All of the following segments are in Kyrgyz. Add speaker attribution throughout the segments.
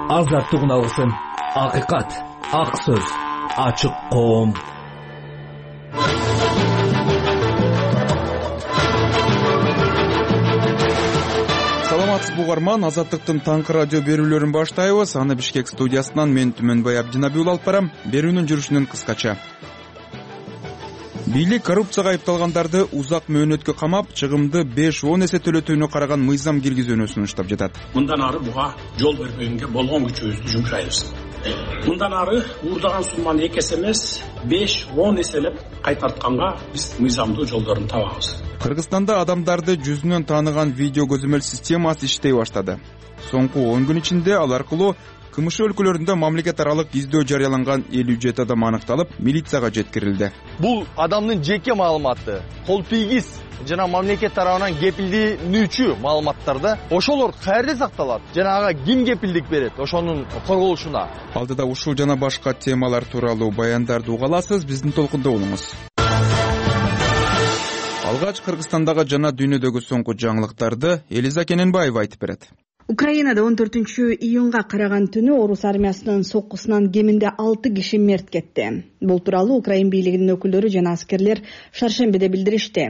Speaker 1: азаттык алсын. Акыйкат, ак сөз, ачык коом.
Speaker 2: Саламатсызбы угарман, Азаттыктын таңкы радио берүүлөрүн баштайбыз. Аны Бишкек студиясынан мен Түмөнбай Абдинабиул алып барам. Берүүнүн жүрүшүнөн кыскача. Бийлик коррупцияга айыпталгандарды узак мөөнөткө камап, чыгымды 5-10 эсе төлөтүүнү караган мыйзам киргизүүнү сунуштап жатат.
Speaker 3: Мындан ары буга жол бербегенге болгон күчүбүздү жумшайбыз. Мындан ары уурдаган сумманы 2 эсе эмес, 5-10 эселеп кайтартканга биз мыйзамдуу жолдорун табабыз.
Speaker 2: Кыргызстанда адамдарды жүзүнөн тааныган видео көзөмөл системасы иштей баштады. Соңку 10 күн ичинде ал аркылуу КМШ өлкөлөрүндө мамлекет аралык издөө жарыяланган 57 адам аныкталып, милицияга жеткирилди.
Speaker 4: Бул адамдын жеке маалыматы, кол тийгиз жана мамлекет тарабынан кепилденүүчү маалыматтарда ошолор каерде сакталат жана ага ким кепилдик берет ошонун корголушуна.
Speaker 2: Алдыда ушул жана башка темалар тууралуу баяндарды уга аласыз, биздин толкунда болуңуз. Алгач Кыргызстандагы жана дүйнөдөгү соңку жаңылыктарды Элиза Кененбаева айтып берет.
Speaker 5: Украинада 14-июнга караган түнү орус армиясынын соккусунан кеминде 6 киши мерт кетти. Бул тууралуу Украин бийлигинин өкүлдөрү жана аскерлер шаршембиде билдиришти.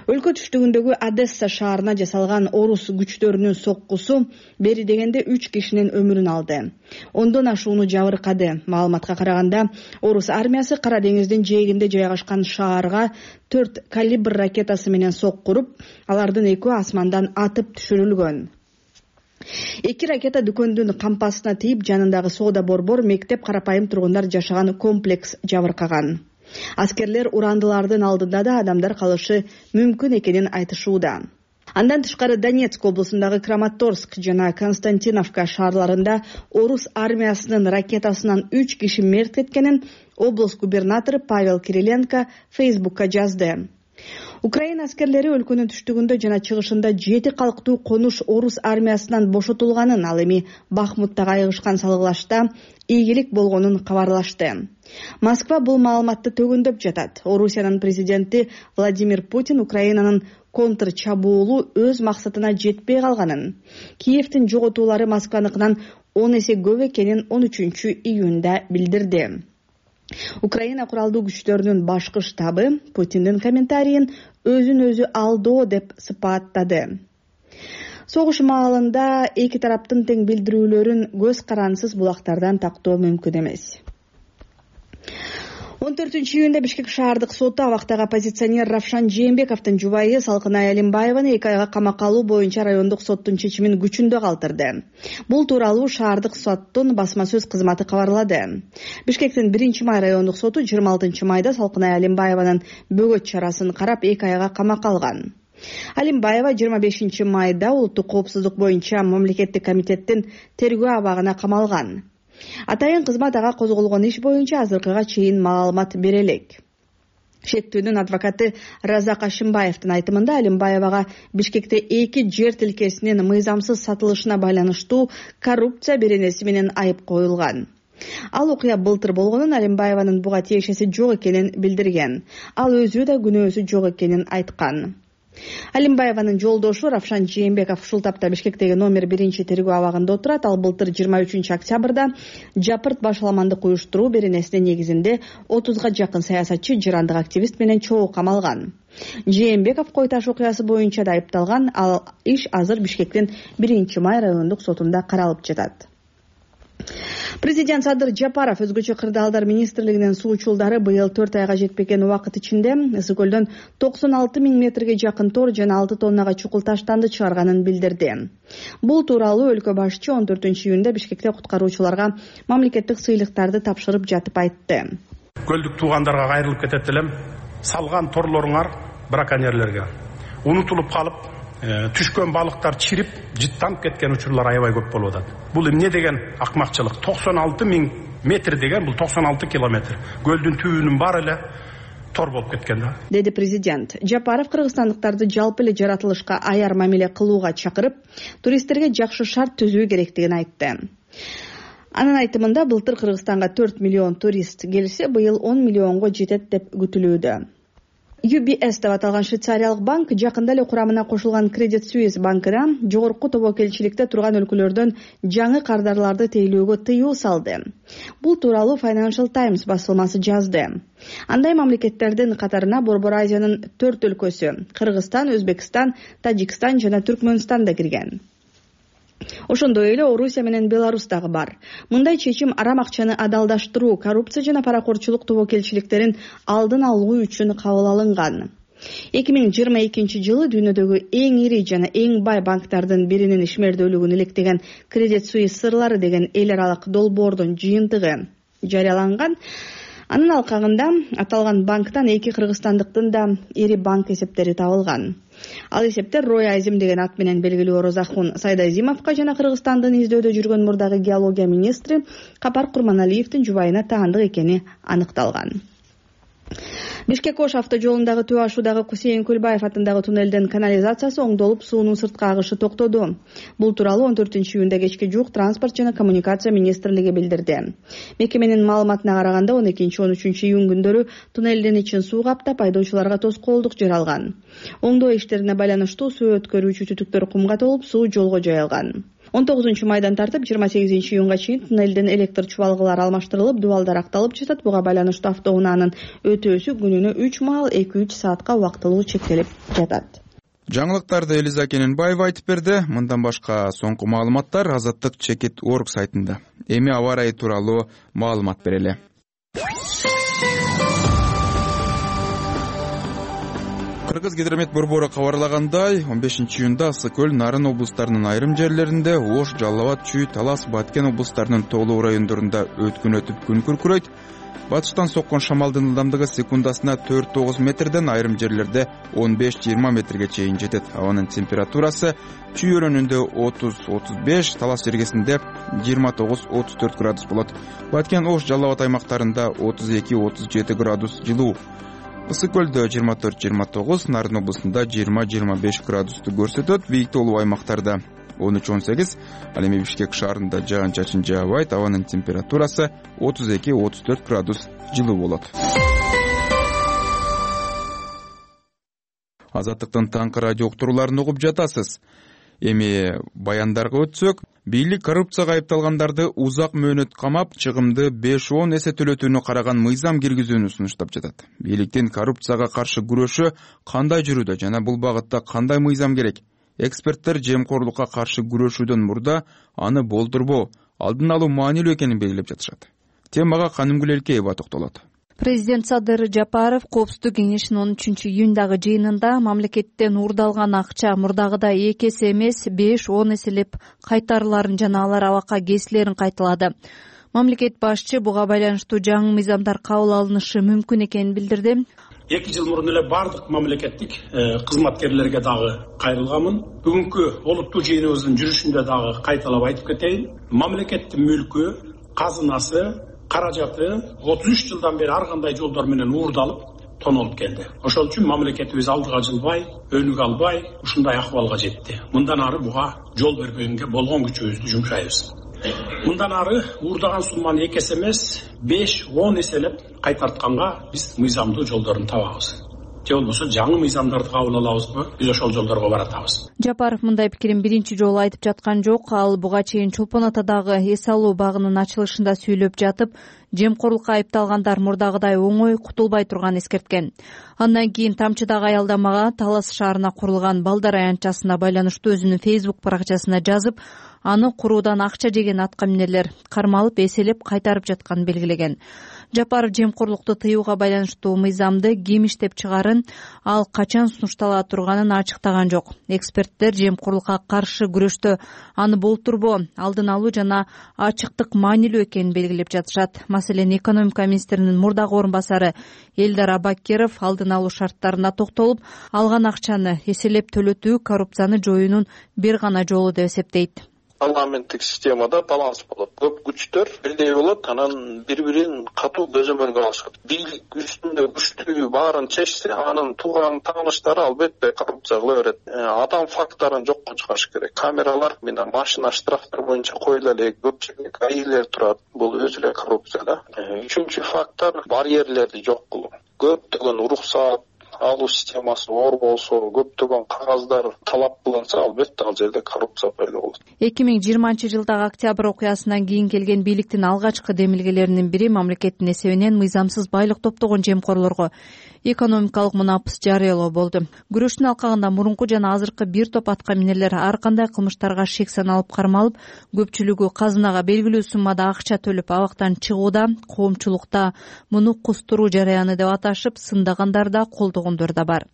Speaker 5: Өлкө түштүгүндөгү Одесса шаарына жасалган орус күчтөрүнүн соккусу бери дегенде 3 кишинин өмүрүн алды. Ондон ашууну жабыркады. Маалыматка караганда, орус армиясы Кара деңиздин жээгинде жайгашкан шаарга 4 калибр ракетасы менен соккуруп, алардын 2 асмандан атып түшүрүлгөн. 2 ракета дүкөндүн кампасына тийип, жанындагы соода борбор, мектеп, карапайым тургундар жашаган комплекс жабыркаган. Аскерлер урандылардын алдында да адамдар калышы мүмкүн экенин айтышууда. Андан тышкары Донецк облусундагы Краматорск жана Константиновка шаарларында орус армиясынын ракетасынан 3 киши мерт кеткенин облус губернатору Павел Кириленко Фейсбукка жазды. Украина аскерлери өлкөнүн түштүгүндө жана чыгышында 7 калктуу конуш орус армиясынан бошотулганын, ал эми Бахмуттагы айыгышкан салгылашта ийгилик болгонун кабарлашты. Москва бул маалыматты төгүндөп жатат. Орусиянын президенти Владимир Путин Украинанын контр чабуулу өз максатына жетпей калганын, Киевдин жоготуулары Москваныкынан 10 эсе көп экенин 13-июнда билдирди. Украина куралдуу күчтөрүнүн башкы штабы Путиндин комментарийин өзүн өзү алдоо деп сыпаттады. Согуш маалында эки тараптын тең билдирүүлөрүн көз карансыз булактардан тактоо мүмкүн эмес. 14-июнда Бишкек шаардык соту абактагы оппозиционер Равшан Жээнбековдун жубайы Салкынай Алимбаеваны 2 айга камакка алуу боюнча райондук соттун чечимин күчүндө калтырды. Бул тууралуу шаардык соттун басма сөз кызматы кабарлады. Бишкектин 1-май райондук соту 26 майда Салкынай Алимбаеванын бөгөт чарасын карап 2 айга камакка алган. Алимбаева 25 майда улуттук коопсуздук боюнча мамлекеттик комитеттин тергөө абагына камалган. Атайын кызмат ага козголгон иш боюнча азыркыга чейин маалымат бере элек. Шектүүнүн адвокаты Разак Ашимбаевдин айтымында Алимбаевага Бишкекте 2 жер тилкесинин мыйзамсыз сатылышына байланыштуу коррупция беренеси менен айып коюлган. Ал окуя былтыр болгонун, Алимбаеванын буга тиешеси жок экенин билдирген. Ал өзү да күнөөсү жок экенин айткан. Алимбаеванын жолдошу Равшан Жээнбеков ушул тапта Бишкектеги номер 1 тергөө абагында отурат. Ал былтыр 23 октябрда жапырт башаламандык уюштуруу беренесинин негизинде 30га жакын саясатчы, жырандык активист менен чогуу камалган. Жээнбеков кой таш окуясы боюнча да айыпталган. Ал иш азыр Бишкектин 1-май райондук сотунда каралып жатат. Президент Садыр Жапаров өзгөчө кырдаалдар министрлигинин суучулдары быйыл 4 айга жетпеген убакыт ичинде Ысык көлдөн 96 000 метрге жакын тор жана 6 тоннага чукул таштанды чыгарганын билдирди. Бул тууралуу өлкө башчы 14-июнда Бишкекте куткаруучуларга мамлекеттик сыйлыктарды тапшырып жатып айтты.
Speaker 3: Көлдүк туугандарга кайрылып кетет элем. Салган торлоруңар браконьерлерге унутулуп калып, түшкөн балыктар чирип, жыттанып кеткен учурлар аябай көп болуп атат. Бул эмне деген акмакчылык? 96 000 метр деген бул 96 километр. Көлдүн түбүнүн баары эле тор болуп кеткен да.
Speaker 5: Деди президент. Жапаров кыргызстандыктарды жалпы эле жаратылышка аяр мамиле кылууга чакырып, туристтерге жакшы шарт түзүү керектигин айтты. Анын айтымында былтыр Кыргызстанга 4 миллион турист келсе, быйыл 10 миллионго жетет деп күтүлүүдө. UBS деп аталган швейцариялык банк жакында эле курамына кошулган Credit Suisse банкына жогорку тобокелчиликте турган өлкөлөрдөн жаңы кардарларды тейлөөгө тыюу салды. Бул тууралуу Financial Times басылмасы жазды. Андай мамлекеттердин катарына Борбор Азиянын 4 өлкөсү — Кыргызстан, Өзбекстан, Тажикстан жана Түркмөнстан да кирген. Ошондой эле Орусия менен Беларусь дагы бар. Мындай чечим арам акчаны адалдаштыруу, коррупция жана паракорчулук тобокелчиликтерин алдын алуу үчүн кабыл алынган. 2022 жылы дүйнөдөгү эң ири жана эң бай банктардын биринин ишмердүүлүгүн иликтеген Credit Suisse сырлары деген эл аралык долбоордун жыйынтыгы жарыяланган. Анын алкагында аталган банктан 2 кыргызстандыктын да ири банк эсептери табылган. Ал эсептер Рой Азим деген ат менен белгилүү Орозахун Сайдазимовго жана Кыргызстандын издөөдө жүргөн мурдагы геология министри Капар Курманалиевдин жубайына таандык экени аныкталган. Бишкек-Ош автожолундагы Төө ашуудагы Кусейин Көлбаев атындагы туннелдин канализациясы оңдолуп, суунун сырткы агышы токтоду. Бул тууралуу 14-июнда кечке жуук Транспорт жана коммуникация министрлиги билдирди. Мекеменин маалыматына караганда 12-13 июнь күндөрү туннелдин ичин суу каптап, айдоочуларга тоскоолдук жаралган. Оңдоо иштерине байланыштуу суу өткөрүүчү түтүктөр кумга толуп, суу жолго жайылган. 19 майдан тартып 28 июнга чейин туннелдин электр чубалгылары алмаштырылып, дубалдар акталып жатат. Буга байланыштуу автоунаанын өтөөсү күнүнө 3 маал 2-3 саатка убактылуу чектелип жатат.
Speaker 2: Жаңылыктарды Элиза Кененбаева айтып берди. Мындан башка соңку маалыматтар Азаттык.org сайтында. Эми аба ырайы тууралуу маалымат берели. Кыргыз гидромет борбору кабарлагандай, 15 июнда Ысык көл, Нарын облустарынын айрым жерлеринде, Ош, Жалал Абад, Чүй, Талас, Баткен облустарынын тоолуу райондорунда өткүн өтүп күн күркүрөйт. Батыштан соккон шамалдын ылдамдыгы секундасына 4-9 метрден, айрым жерлерде 15-20 метрге чейин жетет. Абанын температурасы Чүй өрөөнүндө 30-35, Талас жергесинде 29-34 градус болот. Баткен, Ош, Жалал Абад аймактарында 32-37 градус жылуу. Ысык көлдө 24-29, Нарын облусунда 20-25 градусту көрсөтөт. Бийик тоолуу аймактарда 13-18, ал эми Бишкек шаарында жаан-чачын жаабайт. Абанын температурасы 32-34 градус жылуу болот. Азаттыктын таңкы радио уктурууларын угуп жатасыз. Эми баяндарга өтсөк, бийлик коррупцияга айыпталгандарды узак мөөнөт камап, чыгымды 5-10 эсе төлөтүүнү караган мыйзам киргизүүнү сунуштап жатат. Бийликтин коррупцияга каршы күрөшү кандай жүрүүдө жана бул багытта кандай мыйзам керек? Эксперттер жемкорлукка каршы күрөшүүдөн мурда аны болтурбоо, алдын алуу маанилүү экенин белгилеп жатышат. Темага Канымгүл Элкеева токтолот.
Speaker 6: Президент Садыр Жапаров Коопсуздук кеңешинин 13 июндагы жыйынында мамлекеттен уурдалган акча мурдагыдай 2 эсе эмес 5-10 эселеп кайтарыларын жана алар абакка кесилерин кайталады. Мамлекет башчы буга байланыштуу жаңы мыйзамдар кабыл алынышы мүмкүн экенин билдирди.
Speaker 3: 2 жыл мурун эле бардык мамлекеттик кызматкерлерге дагы кайрылганмын. Бүгүнкү олуттуу жыйыныбыздын жүрүшүндө дагы кайталап айтып кетейин. Мамлекеттин мүлкү, казынасы, каражаты 33 жылдан бери ар кандай жолдор менен уурдалып, тонолуп келди. Ошол үчүн мамлекетибиз алдыга жылбай, өнүгө албай, ушундай акыбалга жетти. Мындан ары буга жол бербегенге болгон күчүбүздү жумшайбыз. Мындан ары уурдаган сумманы 2 эсе эмес, 5-10 эселеп кайтартканга биз мыйзамдуу жолдорун табабыз. Же болбосо жаңы мыйзамдарды кабыл алабызбы, биз ошол жолдорго баратабыз.
Speaker 6: Жапаров мындай пикирин биринчи жолу айтып жаткан жок. Ал буга чейин Чолпон Атадагы эс алуу багынын ачылышында сүйлөп жатып, жемкорлукка айыпталгандар мурдагыдай оңой кутулбай турганын эскерткен. Андан кийин тамчыдагы аялдамага Талас шаарына курулган балдар аянтчасына байланыштуу өзүнүн Facebook баракчасына жазып, аны куруудан акча жеген аткаминерлер кармалып, эселеп кайтарып жатканын белгилеген. Жапаров жемкорлукту тыюуга байланыштуу мыйзамды ким иштеп чыгарын, ал качан сунуштала турганын ачыктаган жок. Эксперттер жемкорлукка каршы күрөштө аны болтурбоо, алдын алуу жана ачыктык маанилүү экенин белгилеп жатышат. Маселен, экономика министринин мурдагы орун басары Элдар Абакиров алдын алуу шарттарына токтолуп, алган акчаны эселеп төлөтүү коррупцияны жоюунун бир гана жолу деп эсептейт.
Speaker 7: Парламенттик системада баланс болот. Көп күчтөр бирдей болот, анан бири-бирин катуу көзөмөлгө алышат. Бийлик үстүндө күчтүү баарын чечсе, анын тууган тааныштары албетте коррупция кыла берет. Адам факторун жокко чыгарыш керек. Камералар менен машина штрафтар боюнча коюла эле, көпчүлүк айылдар турат. Бул өзү эле коррупция да. Үчүнчү фактор барьерлерди жок кылуу. Көптөгөн уруксат, алуу системасы оор болсо, көптөгөн кагаздар талап кылынса, албетте ал жерде коррупция пайда болот.
Speaker 6: 2020-жылдагы октябрь окуясынан кийин келген бийликтин алгачкы демилгелеринин бири мамлекеттин эсебинен мыйзамсыз байлык топтогон жемкорлорго экономикалык мунапыс жарыялоо болду. Күрөштүн алкагында мурунку жана азыркы бир топ атка минерлер ар кандай кылмыштарга шек саналып кармалып, көпчүлүгү казынага белгилүү суммада акча төлөп абактан чыгууда, коомчулукта муну кустуруу жараяны деп аташып, сындагандар да, колдогондор да бар.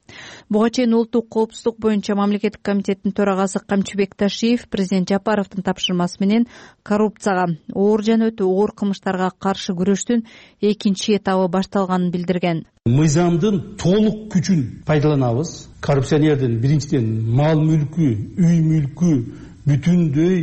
Speaker 6: Буга чейин улуттук коопсуздук боюнча мамлекеттик комитеттин төрагасы Камчыбек Ташиев президент Жапаровдун тапшырмасы менен коррупцияга, оор жана өтө оор кылмыштарга каршы күрөштүн экинчи этабы башталганын билдирген.
Speaker 8: Мыйзамдын толук күчүн пайдаланабыз. Коррупционердин биринчиден мал мүлкү, үй мүлкү бүтүндөй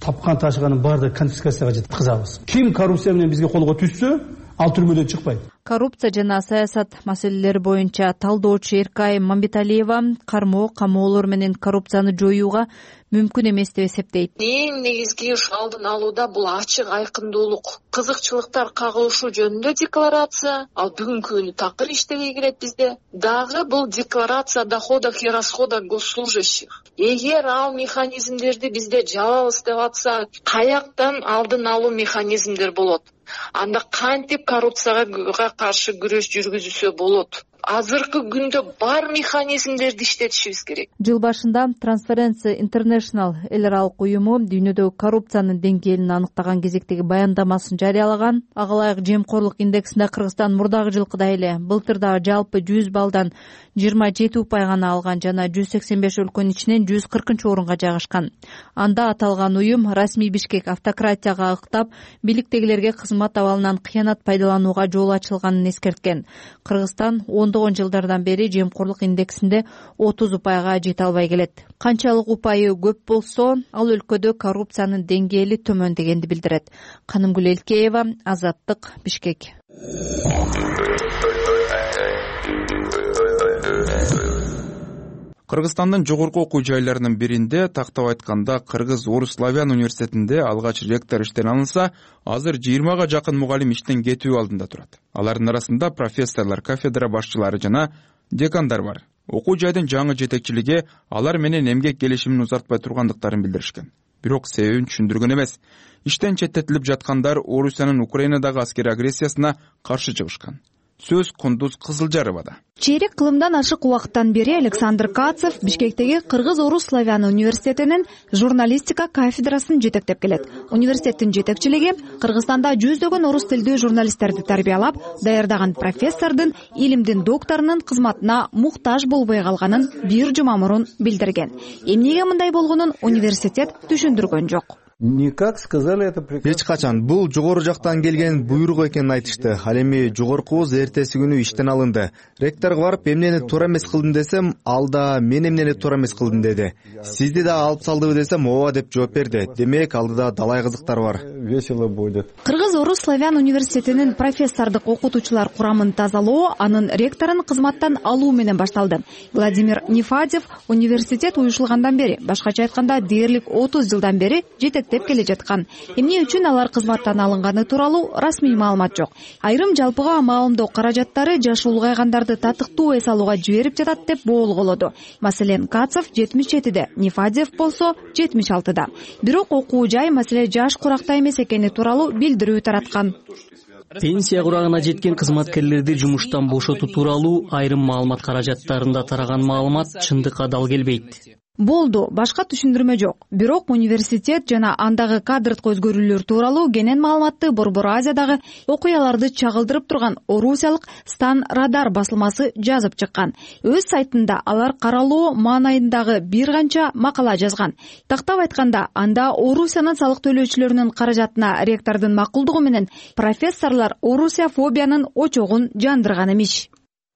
Speaker 8: тапкан ташыганын баардыгын конфискацияга жеткизабыз. Ким коррупция менен бизге колго түшсө, ал түрмөдөн чыкпайт.
Speaker 6: Коррупция жана саясат маселелери боюнча талдоочу Эркай Мамбеталиева кармоо, камоолор менен коррупцияны жоюуга мүмкүн эмес деп эсептейт.
Speaker 9: Эң негизги алдын алууда бул ачык айкындуулук, кызыкчылыктар кагылышы жөнүндө декларация, ал бүгүнкү күнү такыр иштебей келет бизде. Дагы бул декларация о доходах и расходах госслужащих. Эгер ал механизмдерди бизде жабабыз деп атса, каяктан алдын алуу механизмдер болот? Анда кантип коррупцияга каршы күрөш жүргүзүлсө болот? Азыркы күндө бар механизмдерди иштетишибиз керек.
Speaker 6: Жыл башында Transparency International эл аралык уюму дүйнөдөгү коррупциянын деңгээлин аныктаган кезектеги баяндамасын жарыялаган. Ага ылайык жемкорлук индексинде Кыргызстан мурдагы жылкыдай эле былтыр да жалпы 100 баллдан 27 упай гана алган жана 185 өлкөнүн ичинен 140-орунга жайгашкан. Анда аталган уюм расмий Бишкек автократияга ыктап, бийликтегилерге кызмат абалынан кыянат пайдаланууга жол ачылганын эскерткен. Кыргызстан ондогон жылдардан бери жемкорлук индексинде 30 упайга жете албай келет. Канчалык упайы көп болсо, ал өлкөдө коррупциянын деңгээли төмөн дегенди билдирет. Канымгүл Элкеева, Азаттык, Бишкек.
Speaker 2: Кыргызстандын жогорку окуу жайларынын биринде, тактап айтканда Кыргыз Орус Славян университетинде алгач ректор иштен алынса, азыр 20га жакын мугалим иштен кетүү алдында турат. Алардын арасында профессорлор, кафедра башчылары жана декандар бар. Окуу жайдын жаңы жетекчилиги алар менен эмгек келишимин узартпай тургандыктарын билдиришкен. Бирок себебин түшүндүргөн эмес. Иштен четтетилип жаткандар Орусиянын Украинадагы аскерий агрессиясына каршы чыгышкан. Сөз Кундуз Кызылжаровада.
Speaker 10: Чейрек кылымдан ашык убакыттан бери Александр Кацев Бишкектеги Кыргыз Орус Славян университетинин журналистика кафедрасын жетектеп келет. Университеттин жетекчилиги Кыргызстанда жүздөгөн орус тилдүү журналисттерди тарбиялап, даярдаган профессордун, илимдин докторунун кызматына муктаж болбой калганын бир жума мурун билдирген. Эмнеге мындай болгонун университет түшүндүргөн жок.
Speaker 11: Эч качан бул жогору жактан келген буйрук экенин айтышты. Ал эми жогоркубуз эртеси күнү иштен алынды. Ректорго барып эмнени туура эмес кылдым десем, ал да мен эмнени туура эмес кылдым деди. Сизди да алып салдыбы десем, ооба деп жооп берди. Демек алдыда далай кызыктар бар.
Speaker 12: Весело будет.
Speaker 10: Кыргыз Орус Славян университетинин профессордук окутуучулар курамын тазалоо, анын ректорун кызматтан алуу менен башталды. Владимир Нефадев университет уюшулгандан бери, башкача айтканда дээрлик 30 жылдан бери жетектеп келе жаткан. Эмне үчүн алар кызматтан алынганы тууралуу расмий маалымат жок. Айрым жалпыга маалымдоо каражаттары жашы улгайгандарды татыктуу эс алууга жиберип жатат деп боолголоду. Маселен, Кацев 77-де, Нефадев болсо 76-да. Бирок окуу жай маселе жаш куракта эмес экени тууралуу билдирүү тараткан.
Speaker 13: Пенсия курагына жеткен кызматкерлерди жумуштан бошотуу тууралуу айрым маалымат каражаттарында тараган маалымат чындыкка дал келбейт.
Speaker 10: Болду, башка түшүндүрмө жок. Бирок университет жана андагы кадрдык өзгөрүүлөр тууралуу кенен маалыматты Борбор Азиядагы окуяларды чагылдырып турган орусиялык Стан Радар басылмасы жазып чыккан. Өз сайтында алар каралоо маанайындагы бир канча макала жазган. Тактап айтканда, анда Орусиянын салык төлөөчүлөрүнүн каражатына ректордун макулдугу менен профессорлор орусияфобиянын очогун жандырган эмиш.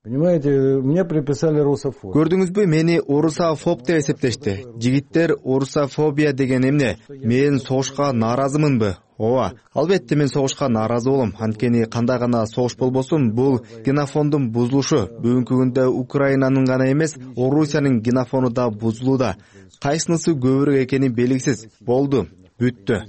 Speaker 12: Понимаете, мне приписали русофоб.
Speaker 11: Көрдүңүзбү, мени орусофоб деп эсептешти. Жигиттер, орусофобия деген эмне? Мен согушка нааразымынбы? Ооба, албетте мен согушка нааразы болом. Анткени кандай гана согуш болбосун, бул генофондун бузулушу. Бүгүнкү күндө Украинанын гана эмес, Орусиянын генофону да бузулууда. Кайсынысы көбүрөөк экени белгисиз. Болду, бүттү.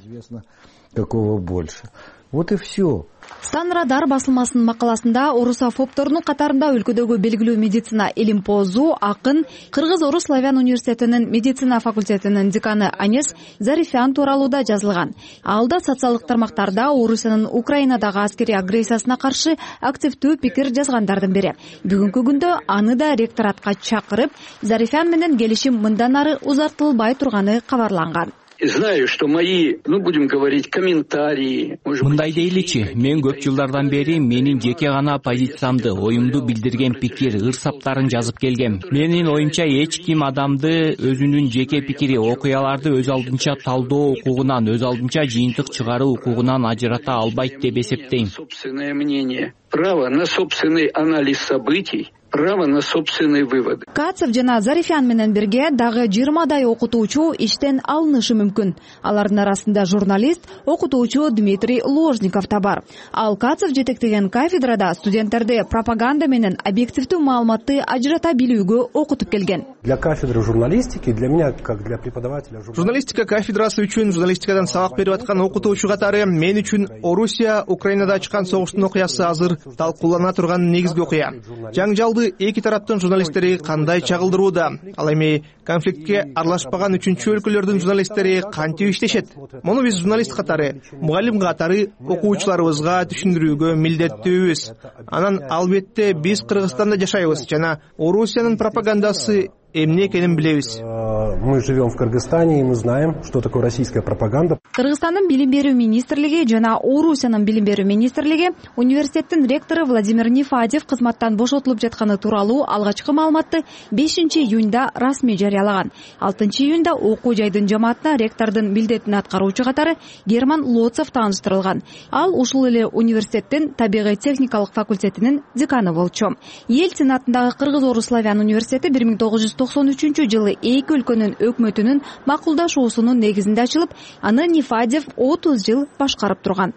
Speaker 12: Какого больше? Вот и все.
Speaker 10: Станрадар басылмасынын макаласында орусофобтордун катарында өлкөдөгү белгилүү медицина илимпоозу, акын, Кыргыз-Орус славян университетинин медицина факультетинин деканы Анес Зарифян тууралуу да жазылган. Ал да социалдык тармактарда Орусиянын Украинадагы аскерий агрессиясына каршы активдүү пикир жазгандардын бири. Бүгүнкү күндө аны да ректоратка чакырып, Зарифян менен келишим мындан ары узартылбай турганы кабарланган.
Speaker 14: Знаю, что мои, будем говорить, комментарии.
Speaker 15: Мындай дейличи, мен көп жылдардан бери менин жеке гана позициямды, оюмду билдирген пикир, ырсаптарын жазып келгем. Менин оюмча эч ким адамды өзүнүн жеке пикири, окуяларды өз алдынча талдоо укугунан, өз алдынча жыйынтык чыгаруу укугунан ажырата албайт деп эсептейм.
Speaker 14: Собственное мнение, право на собственный анализ событий, право на собственные выводы.
Speaker 10: Кацев жана Зарифян менен бирге дагы 20 окутуучу иштен алынышы мүмкүн. Алардын арасында журналист, окутуучу Дмитрий Ложников да бар. Ал Кацев жетектеген кафедрада студенттерди пропаганда менен объективдүү маалыматты ажырата билүүгө окутуп келген.
Speaker 12: Для кафедры журналистики, для меня, как для преподавателя
Speaker 16: журналистика кафедрасы үчүн журналистикадан сабак берип аткан окутуучу катары мен үчүн Орусия Украинада ачкан согуштун окуясы азыр талкуулана турган негизги окуя. Жаңжалды эки тараптын журналисттери кандай чагылдырууда, ал эми конфликтке аралашпаган үчүнчү өлкөлөрдүн журналисттери кантип иштешет? Муну биз журналист катары, мугалим катары окуучуларыбызга түшүндүрүүгө милдеттүүбүз. Анан албетте биз Кыргызстанда жашайбыз жана Орусиянын пропагандасы эмне экенин билебиз.
Speaker 12: Мы живем в Кыргызстане, и мы знаем, что такое российская пропаганда.
Speaker 10: Кыргызстандын билим берүү министрлиги жана Орусиянын билим берүү министрлиги университеттин ректору Владимир Нифадев кызматтан бошотулуп жатканы тууралуу алгачкы маалыматты 5-июнда расмий жарыялаган. 6-июнда окуу жайдын жамаатына ректордун милдетин аткаруучу катары Герман Лоцев тааныштырылган. Ал ушул эле университеттин табигый техникалык факультетинин деканы болчу. Эл сенатындагы Кыргыз-Орус славян университети 1993-жылы эки өлкөнүн өкмөтүнүн макулдашуусунун негизинде ачылып, аны Нифадев 30 жыл башкарып турган.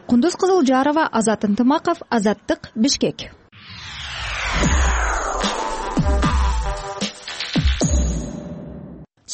Speaker 10: Кундуз Кызылжарова, Азат Ынтымаков, Азаттык, Бишкек.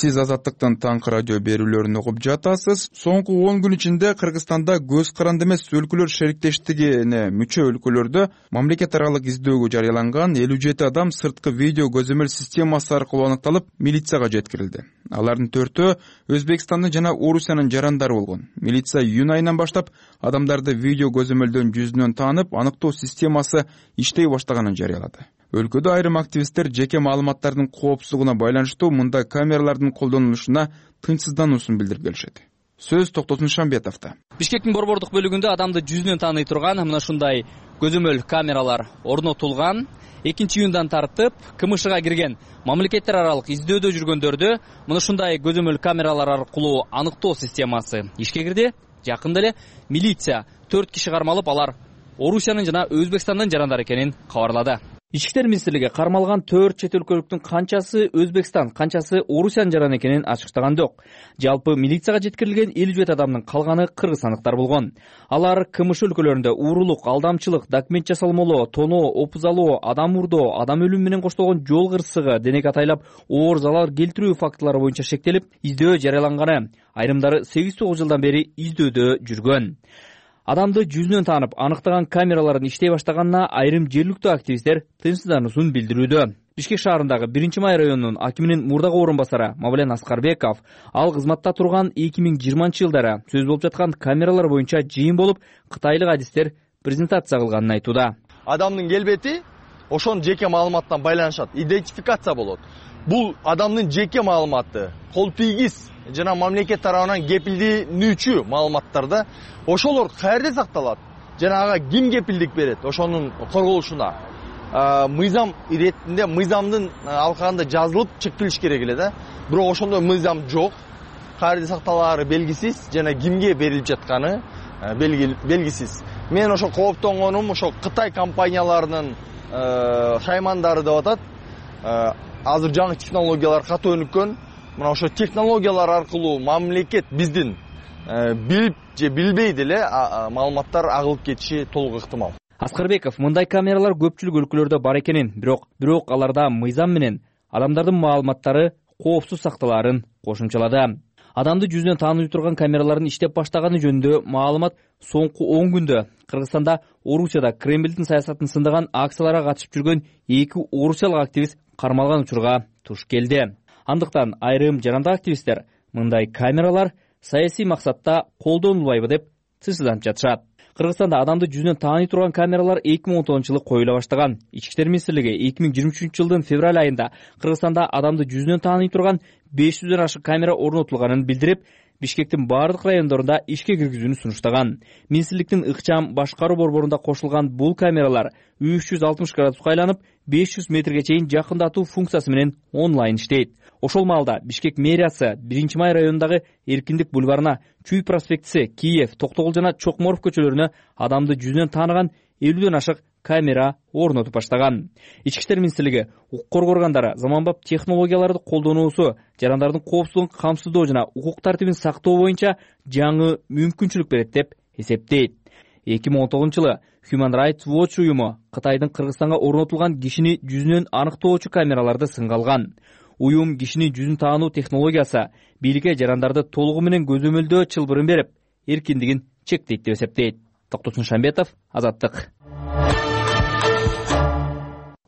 Speaker 2: Сиз Азаттыктын таңкы радио берүүлөрүн угуп жатасыз. Соңку 10 күн ичинде Кыргызстанда көз каранды эмес өлкөлөр шериктештигине мүчө өлкөлөрдө мамлекет аралык издөөгө жарыяланган 57 адам сырткы видео көзөмөл системасы аркылуу аныкталып, милицияга жеткирилди. Алардын 4-өө Өзбекстандын жана Орусиянын жарандары болгон. Милиция июнь айынан баштап адамдарды видео көзөмөлдөн жүзүнөн таанып, аныктоо системасы иштей баштаганын жарыялады. Өлкөдө айрым активисттер жеке маалыматтардын коопсуздугуна байланыштуу мындай камералардын колдонулушуна тынчсыздануусун билдирип келишет. Сөз Токтосун Шамбетовдо.
Speaker 15: Бишкектин борбордук бөлүгүндө адамды жүзүнөн тааный турган мына ушундай көзөмөл камералар орнотулган. 2-июндан тартып КМШга кирген мамлекеттер аралык издөөдө жүргөндөрдү мына ушундай көзөмөл камералар аркылуу аныктоо системасы ишке кирди. Жакында эле милиция 4 киши кармалып, алар Орусиянын жана Өзбекстандын жарандары экенин кабарлады. Ички иштер министрлиги кармалган 4 чет өлкөлүктүн канчасы Өзбекстан, канчасы Орусиянын жараны экенин ачыктаган жок. Жалпы милицияга жеткирилген 57 адамдын калганы кыргызстандыктар болгон. Алар КМШ өлкөлөрүндө уурулук, алдамчылык, документ жасалмолоо, тоноо, опузалоо, адам урдоо, адам өлүмү менен коштолгон жол кырсыгы, денеге атайлап оор залал келтирүү фактылары боюнча шектелип, издөө жарыяланганы. Айрымдары 8-9 жылдан бери издөөдө жүргөн. Адамды жүзүнөн таанып, аныктаган камералардын иштей баштаганына айрым жергиликтүү активисттер тынчсыздануусун билдирүүдө. Бишкек шаарындагы 1-Май районунун акиминин мурдагы орун басары Мавлен Аскарбеков ал кызматта турган 2020-жылдары сөз болуп жаткан камералар боюнча жыйын болуп, кытайлык адистер презентация кылганын айтууда.
Speaker 4: Адамдын келбети ошонун жеке маалыматтан байланышат, идентификация болот. Бул адамдын жеке маалыматы, кол тийгиз жана мамлекет тарабынан кепилденүүчү маалыматтарда ошолор каерде сакталат жана ага ким кепилдик берет ошонун корголушуна. Мыйзам иретинде мыйзамдын алкагында жазылып чектелиш керек эле да. Бирок ошондой мыйзам жок. Каерде сакталаары белгисиз жана кимге берилип жатканы белгисиз. Мен ошо кооптонгонум ошо Кытай компанияларынын шаймандары деп атат. Азыр жаңы технологиялар катуу өнүккөн. Мына ошо технологиялар аркылуу мамлекет биздин билип же билбей деле маалыматтар агылып кетиши толук ыктымал.
Speaker 15: Аскарбеков мындай камералар көпчүлүк өлкөлөрдө бар экенин, бирок аларда мыйзам менен адамдардын маалыматтары коопсуз сакталаарын кошумчалады. Адамды жүзүнөн тааный турган камералардын иштеп баштаганы жөнүндө маалымат соңку 10 күндө Кыргызстанда, Орусияда Кремлдин саясатын сындаган акцияларга катышып жүргөн 2 орусиялык активист кармалган учурга туш келди. Андыктан айрым жарандык активисттер мындай камералар саясий максатта колдонулбайбы деп сысыданып жатышат. Кыргызстанда адамды жүзүнөн тааный турган камералар 2010-жылы коюла баштаган. Ички иштер министрлиги 2023-жылдын февраль айында Кыргызстанда адамды жүзүнөн тааный турган 500дөн ашык камера орнотулганын билдирип, Бишкектин бардык райондорунда ишке киргизүүнү сунуштаган. Министрликтин ыкчам башкаруу борборунда кошулган бул камералар 360 градуска айланып, 500 метрге чейин жакындатуу функциясы менен онлайн иштейт. Ошол маалда Бишкек мэриясы 1-май районундагы Эркиндик бульварына, Чүй проспектиси, Киев, Токтогул жана Чокморов көчөлөрүнө адамды жүзүнөн тааныган 50дөн ашык камера орнотуп баштаган. Ички иштер министрлиги укук коргоо органдары заманбап технологияларды колдонуусу, жарандардын коопсуздугун камсыздоо жана укук тартибин сактоо боюнча жаңы мүмкүнчүлүк берет деп эсептейт. 2019-жылы Human Rights Watch уюму Кытайдын Кыргызстанга орнотулган кишини жүзүнөн аныктоочу камераларды сынга алган. Уюм кишини жүзүн таануу технологиясы бийликке жарандарды толугу менен көзөмөлдөө чылбырын берип, эркиндигин чектейт деп эсептейт. Токтосун Шамбетов, Азаттык.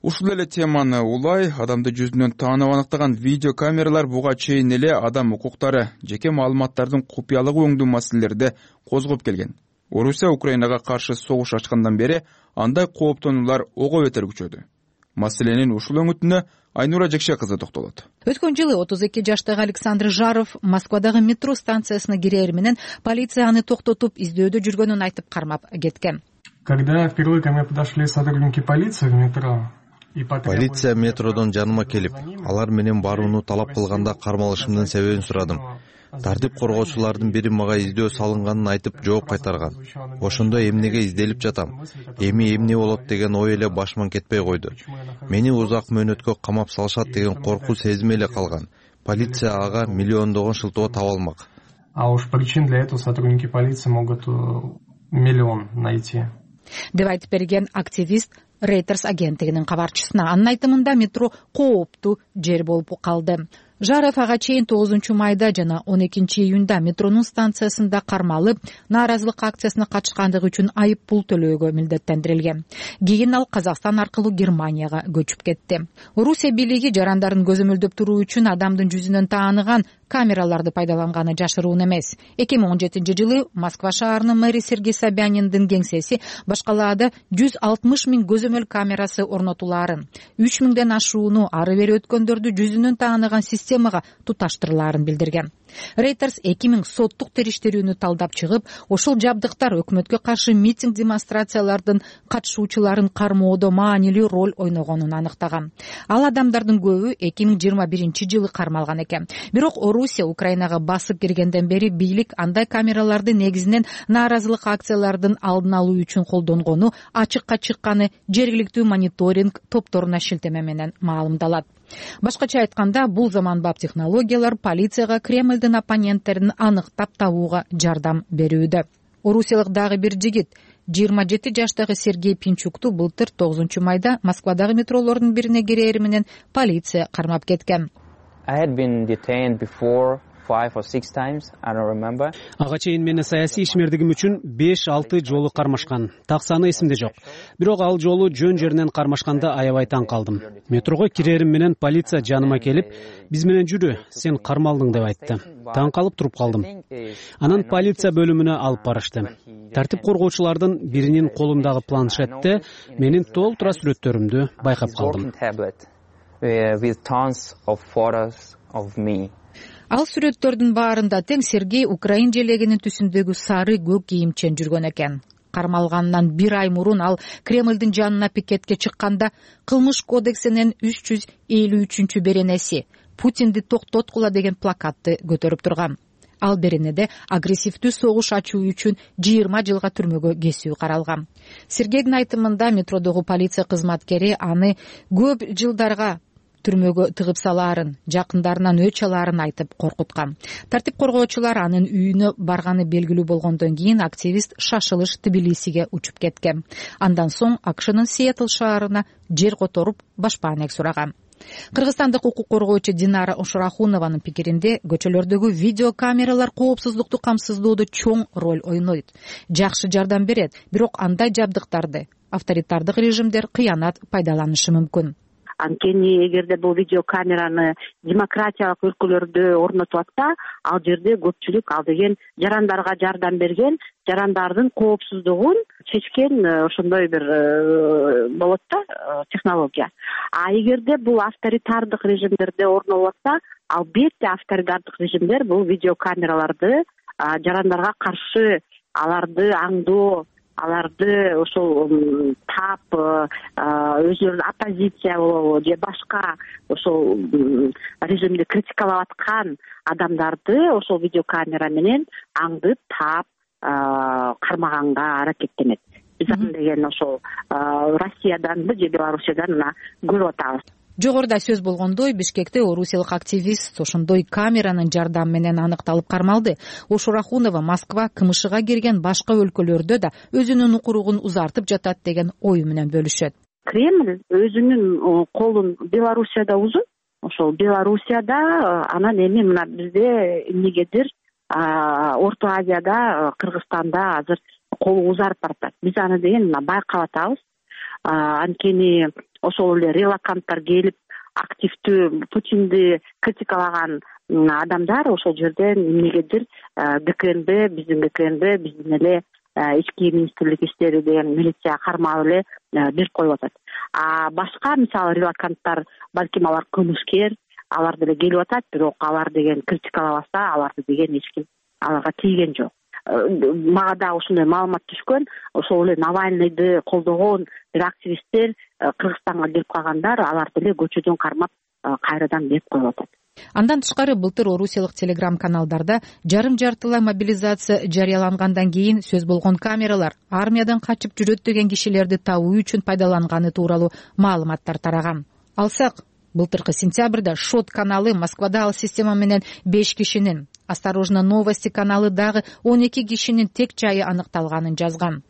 Speaker 2: Ушул эле теманы улай адамды жүзүнөн таанып аныктаган видео камералар буга чейин эле адам укуктары, жеке маалыматтардын купуялыгы өңдүү маселелерди козгоп келген. Орусия Украинага каршы согуш ачкандан бери андай кооптонуулар ого бетер күчөдү. Маселенин ушул өңүтүнө Айнура Жекше кызы токтолот.
Speaker 17: Өткөн жылы 32 жаштагы Александр Жаров Москвадагы метро станциясына кирээр менен полиция аны токтотуп издөөдө жүргөнүн айтып кармап кеткен.
Speaker 18: Когда впервые ко мне подошли сотрудники полиции в метро,
Speaker 19: полиция метродон жаныма келип, алар менен барууну талап кылганда кармалышымдын себебин сурадым. Тартип коргоочулардын бири мага издөө салынганын айтып жооп кайтарган. Ошондо эмнеге изделип жатам, эми эмне болот деген ой эле башыман кетпей койду. Мени узак мөөнөткө камап салышат деген коркуу сезими эле калган. Полиция ага миллиондогон шылтоо таба алмак.
Speaker 18: А уж причин для этого сотрудники полиции могут миллион найти.
Speaker 17: Деп айтып берген активист Reuters агенттигинин кабарчысына. Анын айтымында метро кооптуу жер болуп калды. Жаров ага чейин 9-майда жана 12-июнда метронун станциясында кармалып, нааразылык акциясына катышкандыгы үчүн айып пул төлөөгө милдеттендирилген. Кийин ал Казакстан аркылуу Германияга көчүп кетти. Орусия бийлиги жарандарын көзөмөлдөп туруу үчүн адамдын жүзүнөн тааныган камераларды пайдаланганы жашыруун эмес. 2017-жылы Москва шаарынын мэри Сергей Собяниндин кеңсеси башкалаада 160 000 көзөмөл камерасы орнотулаарын, 3 000ден ашууну ары бери өткөндөрдү жүзүнөн тааныган системага туташтырылаарын билдирген. Reuters 2000 соттук териштирүүнү талдап чыгып, ошол жабдыктар өкмөткө каршы митинг демонстрациялардын катышуучуларын кармоодо маанилүү роль ойногонун аныктаган. Ал адамдардын көбү 2021-жылы кармалган экен. Бирок Орусия Украинага басып киргенден бери бийлик андай камераларды негизинен нааразылык акциялардын алдын алуу үчүн колдонгону ачыкка чыкканы жергиликтүү мониторинг топторуна шилтеме менен маалымдалат. Башкача айтканда, бул заманбап технологиялар полицияга Кремлдин оппоненттерин аныктап табууга жардам берүүдө. Орусиялык дагы бир жигит 27 жаштагы Сергей Пинчукту былтыр 9-майда Москвадагы метролордун бирине кирери менен полиция кармап кеткен.
Speaker 20: Ага чейин мени саясий ишмердигим үчүн 5-6 жолу кармашкан. Так саны эсимде жок. Бирок ал жолу жөн жеринен кармашканда аябай таң калдым. Метрого кирерим менен полиция жаныма келип, биз менен жүрү, сен кармалдың деп айтты. Таң калып туруп калдым. Анан полиция бөлүмүнө алып барышты. Тартип коргоочулардын биринин колундагы планшетте менин толтура сүрөттөрүмдү байкап калдым.
Speaker 17: Ал сүрөттөрдүн баарында тең Сергей украин желегинин түсүндөгү сары көк кийимчен жүргөн экен. Кармалгандан 1 ай мурун ал Кремлдин жанына пикетке чыкканда кылмыш кодексинин 353 беренеси Путинди токтоткула деген плакатты көтөрүп турган. Ал беренеде агрессивдүү согуш ачуу үчүн 20 жылга түрмөгө кесүү каралган. Сергейдин айтымында метродогу полиция кызматкери аны көп жылдарга түрмөгө тыгып салаарын, жакындарынан өч алаарын айтып коркуткан. Тартип коргоочулар анын үйүнө барганы белгилүү болгондон кийин активист шашылыш Тбилисиге учуп кеткен. Андан соң АКШнын Сиэтл шаарына жер которуп башпаанек сураган. Кыргызстандык укук коргоочу Динара Ошурахунованын пикиринде көчөлөрдөгү видео камералар коопсуздукту камсыздоодо чоң роль ойнойт. Жакшы жардам берет, бирок андай жабдыктарды авторитардык режимдер кыянат пайдаланышы мүмкүн.
Speaker 21: Анткени эгерде бул видео камераны демократиялык өлкөлөрдө орнотуп атса, ал жерде көпчүлүк ал деген жарандарга жардам берген, жарандардын коопсуздугун чечкен ошондой бир болот да технология. А эгерде бул авторитардык режимдерде орнолуп атса, албетте авторитардык режимдер бул видео камераларды жарандарга каршы аларды аңдоо, аларды ошол тап өзүлөрүнүн оппозиция болобу же башка ошол режимди критикалап аткан адамдарды ошол видеокамера менен аңдып таап кармаганга аракеттенет. Биз аны деген ошол Россиядан же Белоруссиядан мына көрүп атабыз.
Speaker 17: Жогоруда сөз болгондой, Бишкекте орусиялык активист ошондой камеранын жардамы менен аныкталып кармалды. Ошурахунова Москва кымышыга кирген башка өлкөлөрдө да өзүнүн укуругун узартып жатат деген ою менен бөлүшөт.
Speaker 21: Кремль өзүнүн колун Белоруссияда узун. Ошол Белоруссияда анан эми мына бизде эмнегедир Орто Азияда, Кыргызстанда азыр колу узарып баратат. Биз аны деген мына байкап атабыз. Анткени ошол эле релаканттар келип активдүү Путинди критикалаган адамдар ошол жерден эмнегедир ГКНБ, биздин эле ички министрлик иштери деген милиция кармап эле берип коюп атат. А башка мисалы релаканттар балким алар кылмышкер, алар деле келип атат, бирок алар деген критикалабаса, аларды деген эч ким аларга тийген жок. Мага да ошондой маалымат түшкөн, ошол эле Навальныйды колдогон бир активисттер Кыргызстанга келип калгандар, аларды эле көчөдөн кармап кайрадан берип коюп атат.
Speaker 17: Андан тышкары былтыр орусиялык телеграм-каналдарда жарым-жартылай мобилизация жарыялангандан кийин сөз болгон камералар армиядан качып жүрөт деген кишилерди табуу үчүн пайдаланганы тууралуу маалыматтар тараган. Алсак, былтыркы сентябрда Шот каналы Москвада ал система менен 5 кишинин, Осторожно новости каналы дагы 12 кишинин тек жайы аныкталганын жазган.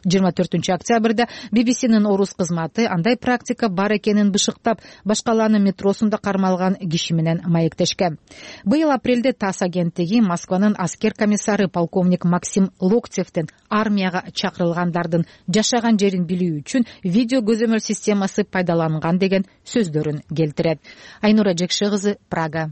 Speaker 17: 24 октябрда BBC'нин орус кызматы андай практика бар экенин бышыктап, башкаланын метросунда кармалган киши менен маектешкен. Быйыл апрелде ТАСС агенттиги Москванын аскер комиссары полковник Максим Локтевдин армияга чакырылгандардын жашаган жерин билүү үчүн видео көзөмөл системасы пайдаланган деген сөздөрүн келтирет. Айнура Жекше кызы, Прага.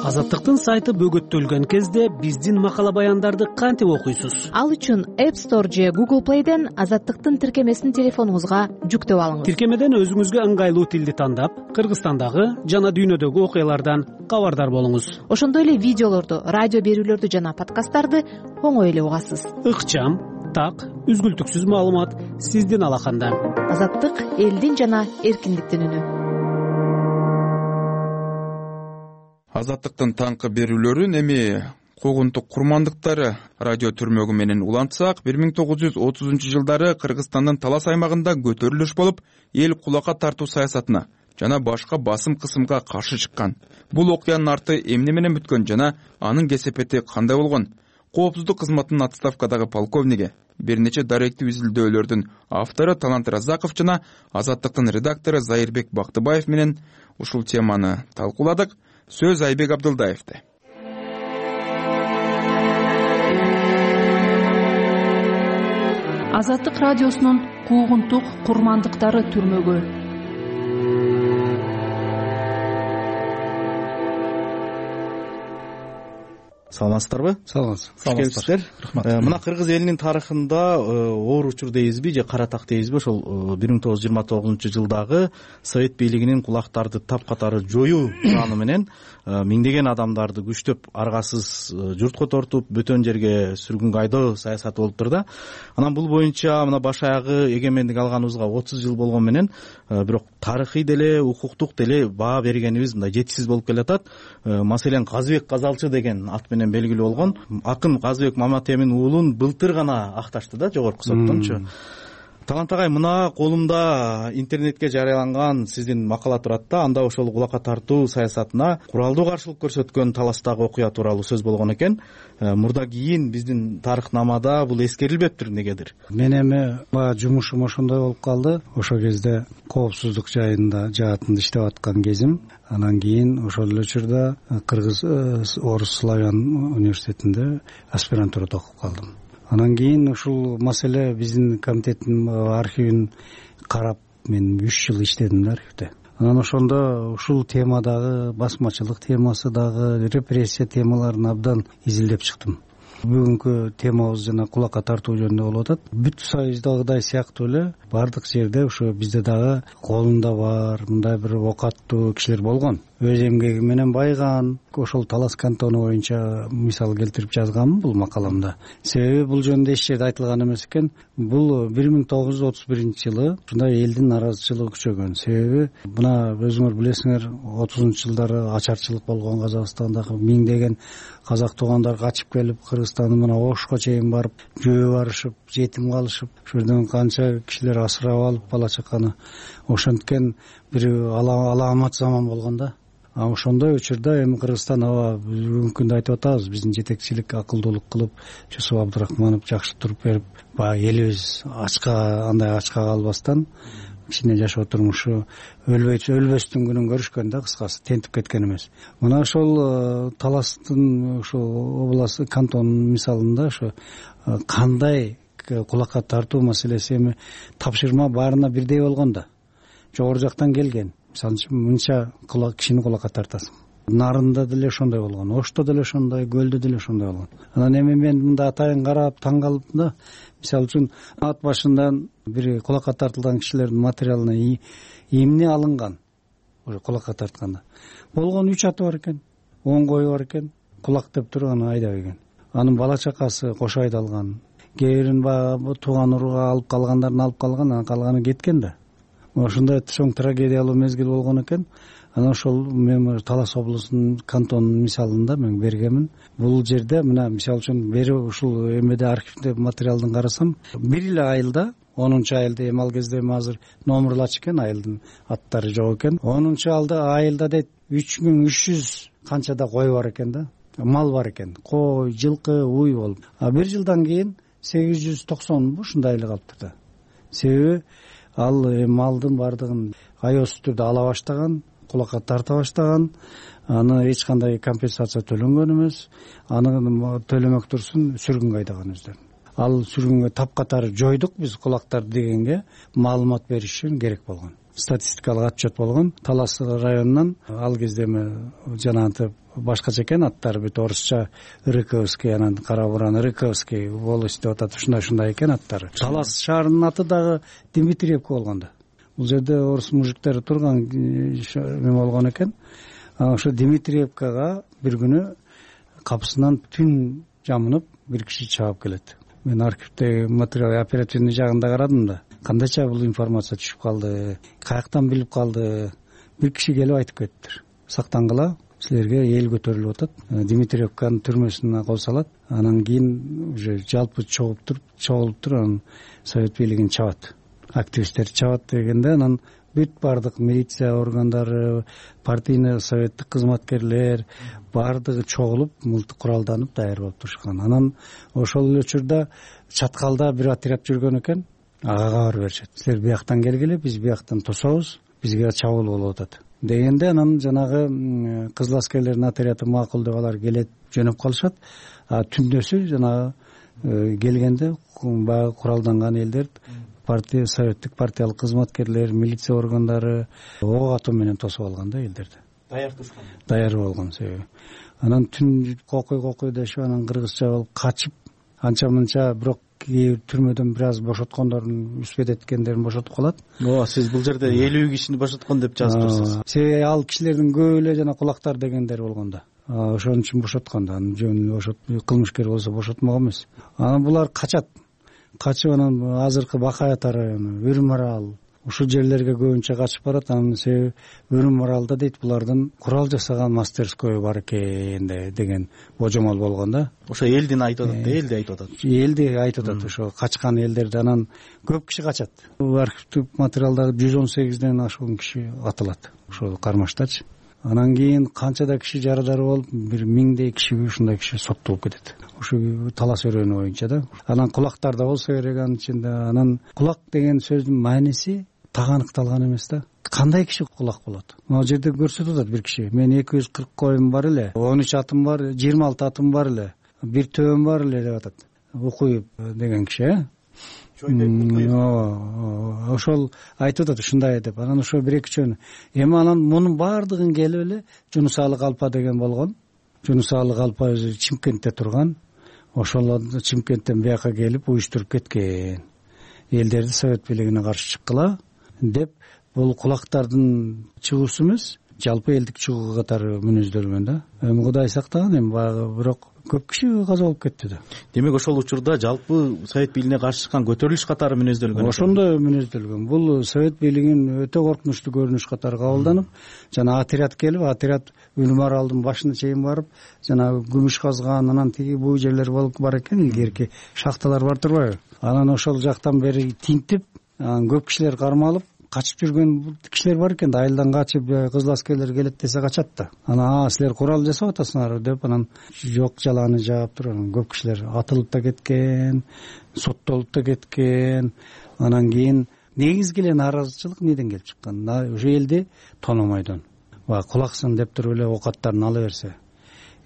Speaker 20: Азаттыктын сайты бөгөттөлгөн кезде биздин макала баяндарды кантип окуйсуз?
Speaker 22: Ал үчүн App Store же Google Play'ден Азаттыктын тиркемесин телефонуңузга жүктөп алыңыз.
Speaker 20: Тиркемеден өзүңүзгө ыңгайлуу тилди тандап, Кыргызстандагы жана дүйнөдөгү окуялардан кабардар болуңуз.
Speaker 22: Ошондой эле видеолорду, радио берүүлөрдү жана подкасттарды оңой эле угасыз.
Speaker 20: Ыкчам, так, үзгүлтүксүз маалымат сиздин алаканда.
Speaker 22: Азаттык элдин жана эркиндиктин үнү.
Speaker 2: Азаттыктын таңкы берүүлөрүн эми куугунтук курмандыктары радио түрмөгү менен улантсак, 1930 жылдары Кыргызстандын талас аймагында көтөрүлүш болуп, эл кулакка тартуу саясатына жана башка басым кысымга каршы чыккан. Бул окуянын арты эмне менен бүткөн жана анын кесепети кандай болгон? Коопсуздук кызматынын отставкадагы полковниги, бир нече даректүү изилдөөлөрдүн автору Талант Разаков жана Азаттыктын редактору Зайырбек Бактыбаев менен ушул теманы талкууладык. Сөз Айбек Абдылдаевде.
Speaker 23: Азаттык радиосунун куугунтук курмандыктары түрмөгү.
Speaker 24: Саламатсыздарбы?
Speaker 25: Саламатсыздар.
Speaker 24: Мына кыргыз элинин тарыхында оор учур дейбизби же кара так дейбизби, ошол 1929-жылдагы совет бийлигинин кулактарды тапкатары жоюу планы менен миңдеген адамдарды күчтөп аргасыз журтко тартып, бөтөн жерге сүргүнгө айдоо саясаты болуптур да. Анан бул боюнча мына баш аягы эгемендик алганыбызга 30 жыл болгон менен бирок тарыхый деле, укуктук деле баа бергенибиз мындай жетишсиз болуп келатат. Маселен Казыбек Казалчы деген ат менен белгилүү болгон акын Казыбек Маматемин уулун былтыр гана акташты да жогорку соттончу. Талант агай, мына колумда интернетке жарыяланган сиздин макала турат да. Анда ошол кулакка тартуу саясатына куралдуу каршылык көрсөткөн Таластагы окуя тууралуу сөз болгон экен. Мурда кийин биздин тарыхнамада бул эскерилбептир эмнегедир?
Speaker 1: Мен эми баягы жумушум ошондой болуп калды. Ошол кезде коопсуздук жаатында иштеп аткан кезим. Анан кийин ошол эле учурда Кыргыз Орус Славян университетинде аспирантурада окуп калдым. Анан кийин ушул маселе биздин комитеттин архивин карап мен 3 жыл иштедим да архивде. Анан ошондо ушул темадагы басмачылык темасы дагы, репрессия темаларын абдан изилдеп чыктым. Бүгүнкү темабыз жана кулакка тартуу жөнүндө болуп атат. Бүт союздагыдай сыяктуу эле бардык жерде ошо бизде дагы колунда бар мындай бир окаттуу кишилер болгон. Өз эмгеги менен байыган, ошол Талас кантону боюнча мисал келтирип жазганмын бул макаламда. Себеби бул жөнүндө эч жерде айтылган эмес экен. Бул 1931-жылы ушундай элдин наразычылыгы күчөгөн. Себеби мына өзүңөр билесиңер, 30-жылдары ачарчылык болгон Казакстандагы миңдеген казак туугандар качып келип Кыргызстандын мына Ошко чейин барып, жөө барышып, жетим калышып, ошол жерден канча кишилер асырап алып бала чаканы. Ошенткен бир аламат заман болгон да. Ошондой учурда эми Кыргызстан бүгүнкү күндө айтып атабыз, биздин жетекчилик акылдуулук кылып, Жусуп Абдырахманов жакшы туруп берип, баягы элибиз андай ачка калбастан кичине жашоо турмушу өлбөстүн күнүн көрүшкөн да, кыскасы тентип кеткен эмес. Мына ошол Таластын ошол область кантонунун мисалында ошо кандай кулакка тартуу маселеси эми тапшырма баарына бирдей болгон да. Жогору жактан келген. Мисалы үчүн мынча кишини кулакка тартасың. Нарында деле ошондой болгон, Ошто деле ошондой, Көлдө деле ошондой болгон. Анан эми мен мында атайын карап таң калдым да. Мисалы үчүн ат башынан бир кулакка тартылган кишилердин материалына эмне алынган? Ошо кулакка тартканда. Болгон 3 аты бар экен, 10 кою бар экен, кулак деп туруп аны айдап келген. Анын бала чакасы кошо айдалган. Кээ бирин баягы тууган уруга алып калгандарын алып калган, анан калганы кеткен да. Ошондой чоң трагедиялуу мезгил болгон экен. Анан ошол мен Талас облусунун кантонунун мисалында мен бергенмин. Бул жерде мына мисалы үчүн бери ушул эмеде архивде материалдын карасам, бир эле айылда 10-айылда эми ал кезде азыр номурлач экен, айылдын аттары жок экен. 10-айылда дейт 3300 канчада кой бар экен да. Мал бар экен. Кой, жылкы, уй болуп. Бир жылдан кийин 890 ушундай эле калыптыр да. Себеби ал малдын бардыгын айоосуз түрдө ала баштаган, кулакка тарта баштаган, аны эч кандай компенсация төлөнгөн эмес, аны төлөмөк турсун сүргүнгө айдаган өздөрүн. Ал сүргүнгө тапкатары жойдук биз кулактарды дегенге маалымат бериш үчүн керек болгон. Статистикалык отчет болгон. Талас районунан ал кезде эми жанагынтип башкача экен аттары, бүт орусча Рыковский, анан кара буран Рыковский волость деп атат, ушундай экен аттары. Талас шаарынын аты дагы Дмитриевка болгон да. Бул жерде орус мужиктери турган эме болгон экен. Ошо Дмитриевкага бир күнү капысынан түн жамынып бир киши чаап келет. Мен архивдеги материал оперативный жагында карадым да. Кандайча бул информация түшүп калды, каяктан билип калды? Бир киши келип айтып кетиптир. Сактангыла, силерге эл көтөрүлүп атат. Дмитриевканын түрмөсүнө кол салат. Анан кийин уже жалпы чогулуп туруп анан совет бийлигин чабат. Активисттер чабат дегенде анан бүт бардык милиция органдары, партийный советтик кызматкерлер бардыгы чогулуп, мылтык куралданып даяр болуп турушкан. Анан ошол эле учурда чаткалда бир отряд жүргөн экен. Ага кабар беришет. Силер бияктан келгиле, биз бияктан тособуз, бизге чабуул болуп атат дегенде, анан жанагы кызыл аскерлердин отряды макул деп алар келет, жөнөп калышат. Түндөсү жанагы келгенде баягы куралданган элдер, партия, советтик партиялык кызматкерлер, милиция органдары ок атуу менен тосуп алган да элдерди. Даяр болгон себеби. Анан түн кокуй дешип, анан кыргызча болуп качып, анча-мынча, бирок түрмөдөн бир аз бошоткондордун үспөт эткендерин бошотуп калат.
Speaker 24: Сиз бул жерде 50 кишини бошоткон деп жазыптырсыз.
Speaker 1: Себеби ал кишилердин көбү эле жана кулактар дегендер болгон да. Ошон үчүн бошоткон да. Анын жөнүндө кылмышкер болсо бошотмок эмес. Анан булар качат. Качып анан азыркы Бакай ата району, Үрмарал, ушул жерлерге көбүнчө качып барат. Анын себеби Өрүм аралда дейт булардын курал жасаган мастерскойу бар экен деген божомол болгон да.
Speaker 24: Ошо элдин айтып атат да, элди айтып атат.
Speaker 1: Элди айтып атат ошо качкан элдерди. Анан көп киши качат. Архивдик материалдагы 118ден ашуун киши атылат ошол кармаштачы. Анан кийин канчада киши жарадар болуп, бир 1000дей киши ушундай киши соттолуп кетет. Ушу талас өрөөнү боюнча да. Анан кулактар да болсо керек анын ичинде. Анан кулак деген сөздүн мааниси так аныкталган эмес да. Кандай киши кулак болот? Могу жерде көрсөтүп атат бир киши. Мен 240 коюм бар эле, 13 атым бар, 26 атым бар эле, бир төбөм бар эле деп атат. Укуюп деген киши, ошол айтып атат ушундай деп. Анан ошо бир эки жөн. Эми анан мунун баардыгын келип эле Жунусалы Калпа деген болгон. Жунусалы Калпа өзү Чымкентте турган. Ошол Чымкенттен бияка келип уюштуруп кеткен. Элдерди Совет бийлигине каршы чыккыла деп бул кулактардын чыгуусу эмес, жалпы элдик чыгуу катары мүнөздөлгөн да. Эми Кудай сактаган, эми баягы бирок көп киши каза болуп кетти да.
Speaker 24: Демек ошол учурда жалпы Совет бийлигине каршы чыккан көтөрүлүш катары мүнөздөлгөн.
Speaker 1: Ошондой мүнөздөлгөн. Бул Совет бийлигин өтө коркунучтуу көрүнүш катары кабылданып, жана отряд келип, отряд Үлүм аралдын башына чейин барып, жана күмүш казган, анан тиги бул жерлер болуп бар экен, илгерки шахталар бар турбайбы? Анан ошол жактан бери тинтип, көп кишилер кармалып, качып жүргөн кишилер бар экен да. Айылдан качып кызыл аскерлер келет десе качат да. Анан силер курал жасап атасыңарбы деп, анан жок жаланы жаап туруп, анан көп кишилер атылып да кеткен, соттолуп да кеткен. Анан кийин негизги эле нааразычылык неден келип чыккан? Ушу элди тономойдон. Кулаксын деп туруп эле оокаттарын ала берсе,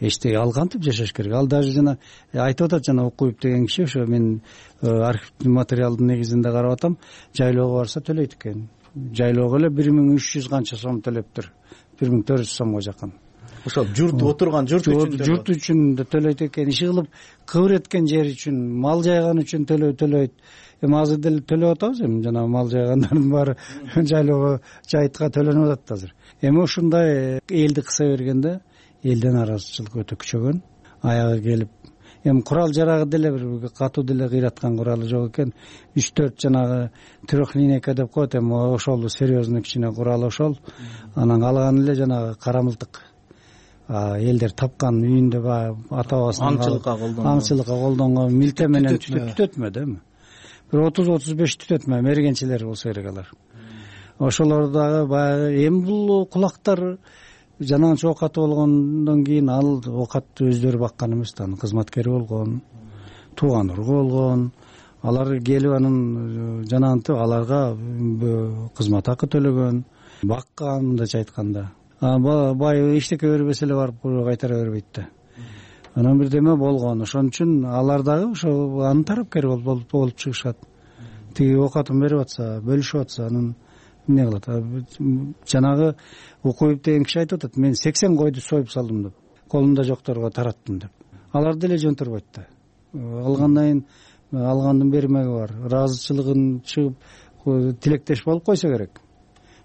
Speaker 1: эчтеке ал кантип жашаш керек? Ал даже жана айтып атат, жана Укуюп деген киши, ошо мен архивдик материалдын негизинде карап атам, жайлоого барса төлөйт экен. Жайлоого эле 1300 канча сом төлөптүр. 1400 сомго жакын.
Speaker 24: Ошо журт отурган журт
Speaker 1: үчүн да төлөйт экен. Иши кылып кыбыр эткен жери үчүн, мал жайган үчүн төлөйт. Эми азыр деле төлөп атабыз, эми жана мал жайгандардын баары жайлоого жайтка төлөнүп атат азыр. Эми ушундай элди кыса бергенде элден нааразычылык өтө күчөгөн. Аягы келип, эми курал жарагы деле бир катуу деле кыйраткан куралы жок экен. 3-4 жанагы трехлинейка деп коет, эми ошол серьезный кичине курал ошол. Анан калганы эле жанагы кара мылтык. Элдер тапкан үйүндө ата бабасынын аңчылыкка колдонгон милте менен түтөтмө да эми. Бир 30-35 түтөтмө мергенчилер болсо керек алар. Ошолор дагы баягы эми бул кулактар жанагынча оокаты болгондон кийин ал оокатты өздөрү баккан эмес да, кызматкери болгон, тууган ургу болгон. Алар келип анын жанагынтип аларга кызмат акы төлөгөн, баккан мындайча айтканда. Бай эчтеке бербесе эле барып кайтара бербейт да. Анан бирдеме болгон. Ошон үчүн алар дагы ошо анын тарапкери болуп чыгышат. Тиги оокатын берип атса, бөлүшүп атса, анан эмне кылат? Жанагы Укуюп деген киши айтып атат, мен 80 койду союп салдым деп, колумда жокторго тараттым деп. Алар деле жөнтөрбөйт да. Алгандан кийин алгандын бермеги бар. Ыраазычылыгын чыгып тилектеш болуп койсо керек.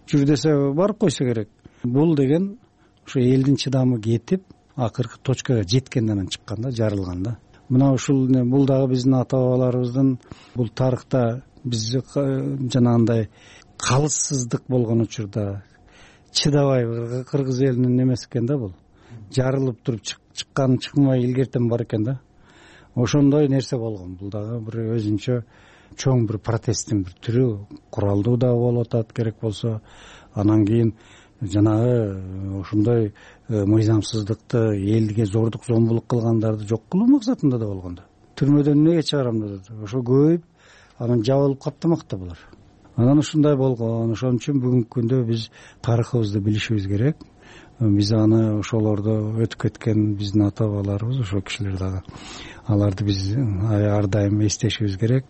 Speaker 1: Жүр десе барып койсо керек. Бул деген ошо элдин чыдамы кетип, акыркы точкага жеткенден анан чыккан да, жарылган да. Мына ушул бул дагы биздин ата бабаларыбыздын бул тарыхта биз жанагындай калыссыздык болгон учурда чыдабай кыргыз элинин эмеси экен да, бул жарылып туруп чыккан чыкмай илгертен бар экен да. Ошондой нерсе болгон. Бул дагы бир өзүнчө чоң бир протесттин бир түрү, куралдуу да болуп атат керек болсо. Анан кийин жанагы ошондой мыйзамсыздыкты, элге зордук зомбулук кылгандарды жок кылуу максатында да болгон да. Түрмөдөн эмнеге чыгарам деп ошо көбөйүп, анан жабылып каптамак да булар. Анан ушундай болгон. Ошон үчүн бүгүнкү күндө биз тарыхыбызды билишибиз керек. Биз аны ошолордо өтүп кеткен биздин ата бабаларыбыз, ошол кишилер дагы аларды биз ар дайым эстешибиз керек.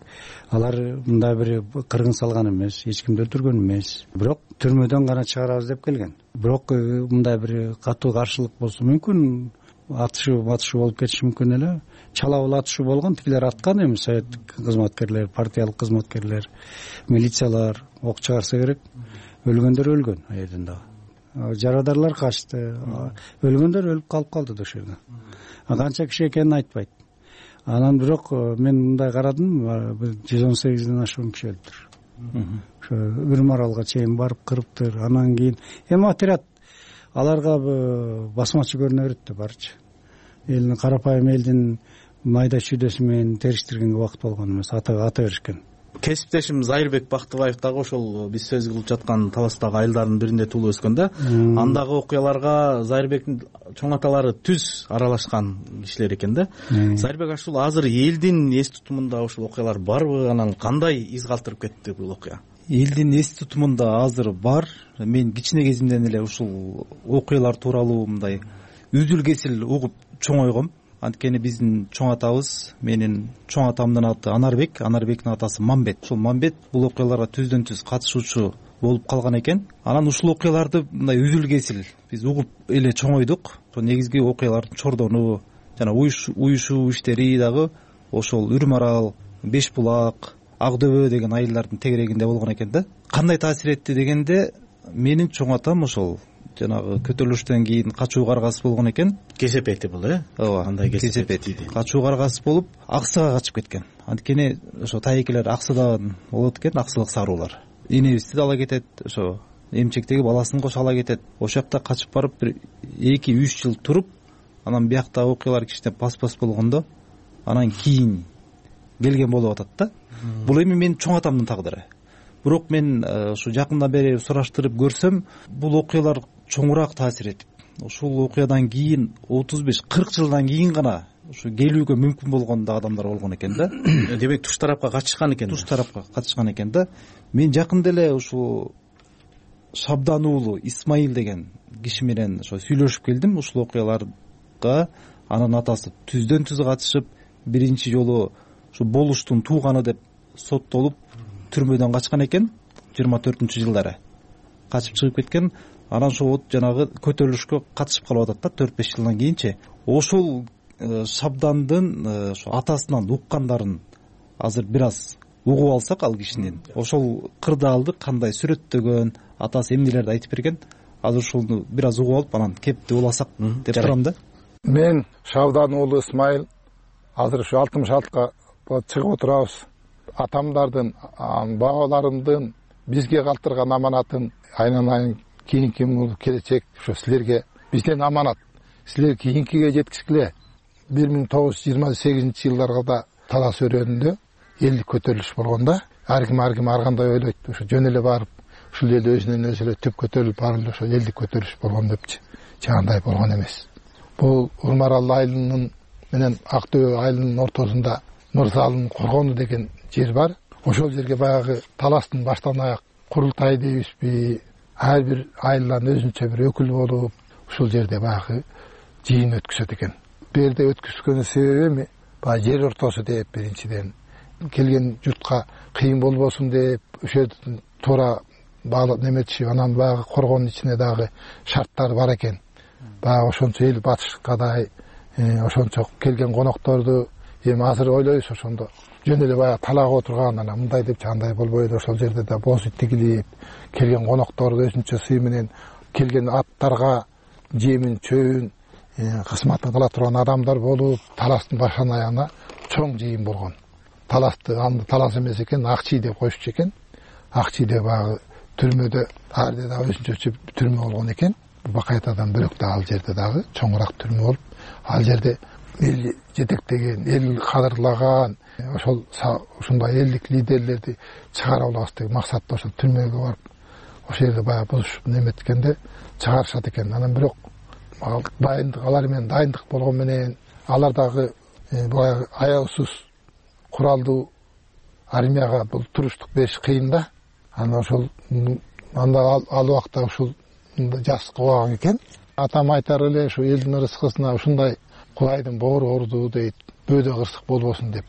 Speaker 1: Алар мындай бир кыргын салган эмес, эч кимди өлтүргөн эмес. Бирок түрмөдөн гана чыгарабыз деп келген. Бирок мындай бир катуу каршылык болсо мүмкүн, атышуу болуп кетиши мүмкүн эле. Чалабыл атышуу болгон, тигилер аткан эми советтик кызматкерлер, партиялык кызматкерлер, милициялар ок чыгарса керек. Өлгөндөр өлгөн аерден дагы. Жарадарлар качты. Өлгөндөр өлүп калды да ошол жерде. Канча киши экенин айтпайт. Анан бирок мен мындай карадым, 118ден ашуун киши өлүптүр. ошо Үрүм аралга чейин барып кырыптыр. Анан кийин эми отряд аларга басмачы көрүнө берет да барчы. Элдин карапайым элдин майда чүйдөсү менен териштиргенге убакыт болгон эмес, ата беришкен.
Speaker 24: Кесиптешим Зайырбек Бактыбаев дагы ошол биз сөз кылып жаткан Таластагы айылдардын биринде туулуп өскөн да. Андагы окуяларга Зайырбектин чоң аталары түз аралашкан кишилер экен да. Зайырбек ушул азыр элдин эс тутумунда ушул окуялар барбы? Анан кандай из калтырып кетти бул окуя?
Speaker 3: Элдин эс тутумунда азыр бар. Мен кичине кезимден эле ушул окуялар тууралуу мындай үзүл кесил угуп чоңойгом. Анткени биздин чоң атабыз, менин чоң атамдын аты Анарбек, Анарбектин атасы Мамбет. Ушул Мамбет бул окуяларга түздөн түз катышуучу болуп калган экен. Анан ушул окуяларды мындай үзүл кесил биз угуп эле чоңойдук. Ошол негизги окуялардын чордону жана уюшуу иштери дагы ошол Үрүм арал, Беш булак, Ак дөбө деген айылдардын тегерегинде болгон экен да. Кандай таасир этти дегенде, менин чоң атам ошол жанагы көтөрүлүштөн кийин качуу каргасы болгон экен.
Speaker 24: Кесепети бул,
Speaker 3: ооба, андай кесепети. Качуу каргасы болуп, Аксыга качып кеткен. Анткени ошо тайекелер Аксыдан болот экен, аксылык саруулар. Энебизди да ала кетет, ошо эмчектеги баласын кошо ала кетет. Ошол жакта качып барып бир 2-3 жыл туруп, анан биякта окуялар кичине пас болгондо, анан кийин келген болуп атат да. Бул эми менин чоң атамдын тагдыры. Бирок мен ушу жакындан бери сураштырып көрсөм, бул окуялар чоңураак таасир этип, ушул окуядан кийин 35-40 жылдан кийин гана ушу келүүгө мүмкүн болгон да адамдар болгон экен да.
Speaker 24: Демек туш тарапка качышкан экен.
Speaker 3: Туш тарапка качышкан экен да. Мен жакында эле ушул Шабдан уулу Исмаил деген киши менен ошо сүйлөшүп келдим ушул окуяларга. Анын атасы түздөн түз катышып, биринчи жолу ушу болуштун тууганы деп соттолуп түрмөдөн качкан экен 24-жылдары. Качып чыгып кеткен. Анан ошол жанагы көтөрүлүшкө катышып калып атат да 4-5 жылдан кийинчи. Ошол Шабдандын ошо атасынан уккандарын азыр бир аз угуп алсак ал кишинин, ошол кырдаалды кандай сүрөттөгөн, атасы эмнелерди айтып берген, азыр ошону бир аз угуп алып анан кепти уласак деп турам да.
Speaker 5: Мен Шабдан уулу Исмаил, азыр ушу 66ка чыгып отурабыз. Атамдардын, бабаларымдын бизге калтырган аманатын айнан кийинки келечек ушу силерге бизден аманат. Силер кийинкиге жеткизгиле. 1928-жылдарга да Талас өрөөнүндө элдик көтөрүлүш болгондо, ар ким ар кандай ойлойт, ушу жөн эле барып, ушул эл өзүнөн өзү эле түп көтөрүлүп барып эле ошол элдик көтөрүлүш болгон депчи. Жагандай болгон эмес. Бул Үрүм арал айылынын менен Ак дөбө айылынын ортосунда Мырзалынын коргону деген жер бар. Ошол жерге баягы Таластын баштан аяк курултай дейбизби, ар бир айылдан өзүнчө бир өкүл болуп, ушул жерде баягы жыйын өткөзөт экен. Бу жерде өткөзгөнүн себеби эми баягы жер ортосу деп, биринчиден келген журтка кыйын болбосун деп, ошол жерден туура баглап неметишип, анан баягы коргонун ичине дагы шарттар бар экен. Баягы ошончо эл батышкадай, ошончо келген конокторду эми азыр ойлойбуз ошондо жөн эле баягы талаага отурган, анан мындай деп андай болбойду, ошол жерде да боз ит тигилип, келген конокторду өзүнчө сый менен, келген аттарга жемин, чөбүн кызматын кыла турган адамдар болуп, Таластын башынан аягына чоң жыйын болгон. Таласты анда Талас эмес экен, Акчий деп коюшчу экен. Акчийде баягы түрмөдө, ар жерде өзүнчө түрмө болгон экен. Бакайтадан бөлөк да ал жерде дагы чоңураак түрмө болуп, ал жерде эл жетектеген, эл кадырлаган, ушундай элдик лидерлерди чыгара алабыз деген максатта ошол түрмөгө барып, ошол жерде баягы бузушуп неметкенде чыгарышат экен. Анан бирок алар менен дайындык болгон менен, алар дагы баягы аябсыз куралдуу армияга бул туруштук бериш кыйын да. Анан ошол анда ал убакта ушул жас кубаган экен. Атам айтар эле ушу элдин ырыскысына ушундай Кудайдын боору орду дейт, бөөдө кырсык болбосун деп,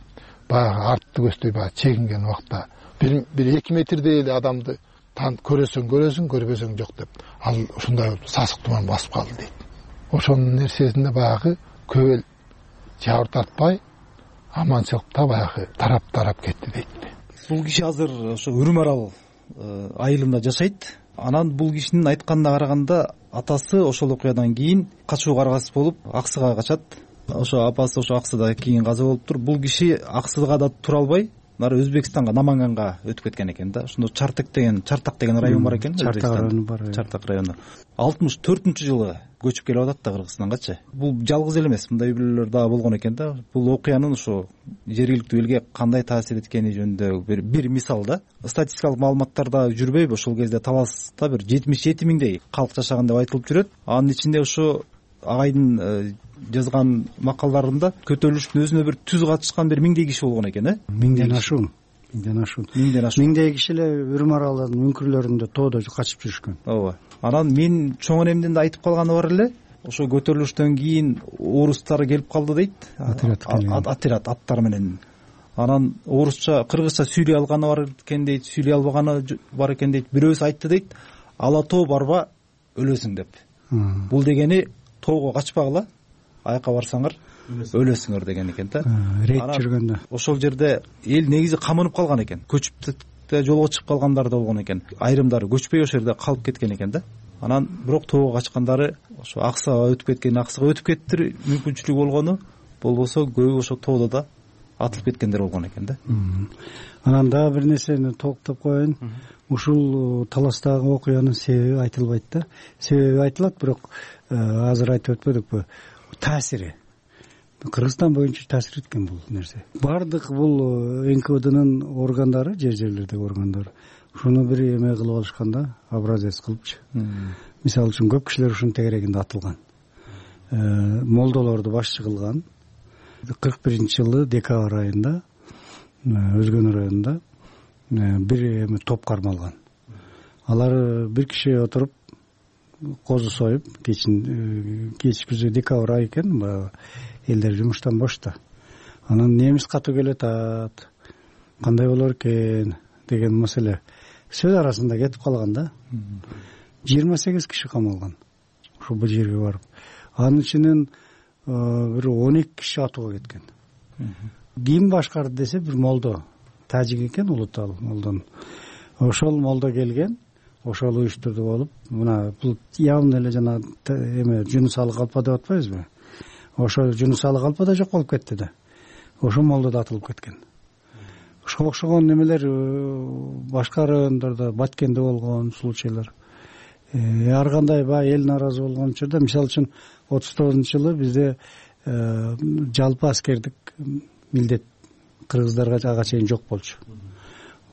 Speaker 5: баягы артты көздөй баягы чегинген убакта бир 2 метрдей эле адамды көрөсөң, көрбөсөң жок деп, ал ушундай сасык туман басып калды дейт. Ошонун нерсесинде баягы көп эл жабыр тартпай, аманчылыкта баягы тарап кетти дейт.
Speaker 3: Бул киши азыр ошо Үрүм арал айылында жашайт. Анан бул кишинин айтканына караганда, атасы ошол окуядан кийин качуу каргасы болуп Аксыга качат. Ошо апасы ошо Аксыда кийин каза болуптур. Бул киши Аксыга да тура албай, булар Өзбекстанга, Наманганга өтүп кеткен экен да. Ошондо Чартак деген район бар экен.
Speaker 1: Чартак району бар.
Speaker 3: Чартак району 64-жылы көчүп келип атат да Кыргызстангачы. Бул жалгыз эле эмес, мындай үй бүлөлөр дагы болгон экен да. Бул окуянын ошо жергиликтүү элге кандай таасир эткени жөнүндө бир мисал да. Статистикалык маалыматтарда жүрбөйбү, ошол кезде таласта бир 77 миңдей калк жашаган деп айтылып жүрөт. Анын ичинде ошо агайдын жазган макалдарында көтөрүлүштүн өзүнө бир түз катышкан бир миңдей киши болгон экен,
Speaker 1: миңден ашуун. Миңдей киши эле Үрүмаралдын үңкүрлөрүндө тоодо качып жүрүшкөн.
Speaker 3: Ооба. Анан мен чоң энемдин да айтып калганы бар эле. Ошо көтөрүлүштөн кийин орустар келип калды дейт. Отряд аттар менен. Анан орусча, кыргызча сүйлөй алганы бар экен дейт, сүйлөй албаганы бар экен дейт. Бирөөсү айтты дейт, ала тоо барба өлөсүң деп. Бул дегени тоого качпагыла, аяка барсаңар өлөсүңөр деген экен да.
Speaker 1: Рейд жүргөндө.
Speaker 3: Ошол жерде эл негизи камынып калган экен. Көчүп жолго чыгып калгандар да болгон экен. Айрымдары көчпөй ошол жерде калып кеткен экен да. Анан бирок тоого качкандары ошо Аксага өтүп кетти мүмкүнчүлүгү болгону, болбосо көбү ошо тоодо да атылып кеткендер болгон экен да.
Speaker 1: Анан дагы бир нерсени толуктап коеюн. Ушул таластагы окуянын себеби айтылбайт да. Себеби айтылат, бирок азыр айтып өтпөдүкпү? Таасири. Кыргызстан боюнча таасир эткен бул нерсе. Бардык бул НКВДнын органдары, жерлердеги органдары ушуну бир эме кылып алышкан да, образец кылыпчы. Мисалы үчүн көп кишилер ушунун тегерегинде атылган. Молдолорду башчы кылган. 41-жылы декабрь айында Өзгөн районунда бир эме топ кармалган. Алар бир киши отуруп козу союп, кечки декабрь ай экен, элдер жумуштан бошто. Анан немис катуу келет, кандай болор экен деген маселе сөз арасында кетип калган да. 28 киши камалган ушул бул жерге барып. Анын ичинен бир 12 киши атууга кеткен. Ким башкарды десе бир молдо, тажик экен, улутал молдон. Ошол молдо келген, ошол уюштурду болуп, мына бул явно эле жана эме Жунус Алы Калпа деп атпайбызбы? Ошо Жунус Алы Калпа да жок болуп кетти да. Ошо молдо да атылып кеткен. Ошого окшогон немелер башка райондордо, Баткенде болгон случайлар. Ар кандай эл нааразы болгон учурда, мисалы үчүн 39-жылы бизде жалпы аскердик милдет кыргыздарга ага чейин жок болчу.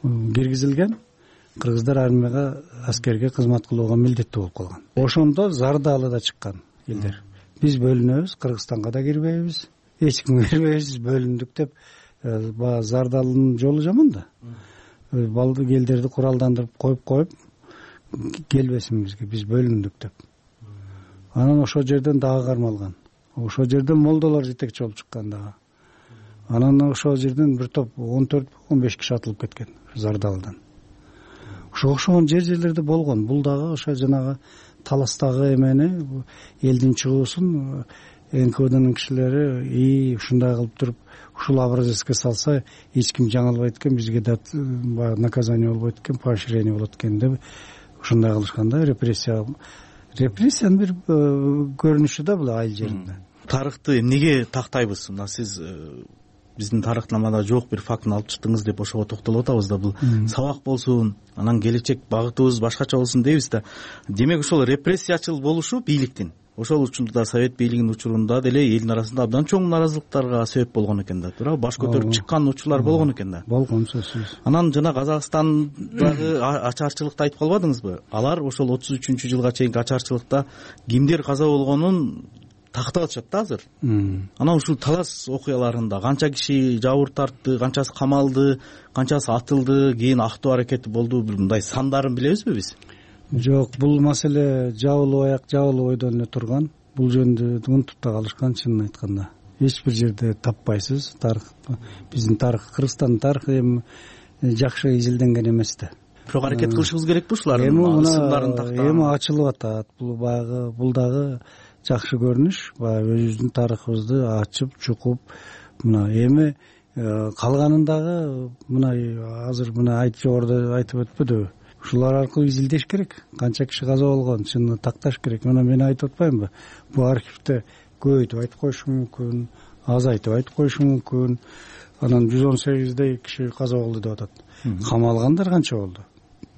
Speaker 1: Киргизилген, кыргыздар армияга, аскерге кызмат кылууга милдеттүү болуп калган. Ошондо зардалы да чыккан элдер. Биз бөлүнөбүз, Кыргызстанга да кирбейбиз, эч кимге кирбейбиз, бөлүндүк деп. Зардалынын жолу жаман да. Балды элдерди куралдандырып коюп келбесин бизге, биз бөлүндүк деп. Анан ошол жерден дагы кармалган. Ошол жерден молдолор жетекчи болуп чыккан дагы. Анан ошол жерден бир топ 14-15 киши атылып кеткен Зардалдан. Ошого окшогон жерлерде болгон. Бул дагы ошо жанагы таластагы эмени, элдин чыгуусун НКВДнын кишилери ушундай кылып туруп, ушул образецке салса эч ким жаңылбайт экен, бизге да наказание болбойт экен, поощрение болот экен деп ушундай кылышкан да. Репрессиянын бир көрүнүшү да бул айыл жеринде.
Speaker 24: Тарыхты эмнеге тактайбыз? Мына сиз биздин тарыхнамада жок бир фактыны алып чыктыңыз деп ошого токтолуп атабыз да. Бул сабак болсун, анан келечек багытыбыз башкача болсун дейбиз да. Демек ошол репрессиячыл болушу бийликтин ошол учурда Совет бийлигинин учурунда деле элдин арасында абдан чоң нааразылыктарга себеп болгон экен да. Туура, баш көтөрүп чыккан учурлар болгон экен да.
Speaker 1: Болгон сөзсүз.
Speaker 24: Анан жана Казакстандагы ачарчылыкты айтып калбадыңызбы? Алар ошол 33-жылга чейинки ачарчылыкта кимдер каза болгонун тактап атышат да азыр. Анан ушул талас окуяларында канча киши жабыр тартты, канчасы камалды, канчасы атылды, кийин актоо аракети болду, мындай сандарын билебизби биз?
Speaker 1: Жок, бул маселе жабылып аяк, жабылып ойдон эле турган. Бул жөнүндө унутуп да калышкан, чынын айтканда. Эч бир жерде таппайсыз. Тарых, биздин тарых, Кыргызстандын тарыхы эми жакшы изилденген эмес да.
Speaker 24: Бирок аракет кылышыбыз керекпи ушулардын сындарын тактаган?
Speaker 1: Эми ачылып атат. Бул дагы жакшы көрүнүш. Баягы өзүбүздүн тарыхыбызды ачып, чукуп, мына эми калганын дагы мына азыр мына жогоруда айтып өтпөдүбү? Ушулар аркылуу изилдеш керек. Канча киши каза болгон, чынын такташ керек. Мына мен айтып атпаймынбы? Бул архивде көбөйтүп айтып коюшу мүмкүн. айтып коюшу мүмкүн. Анан 118 киши каза болду деп атат. Камалгандар канча болду?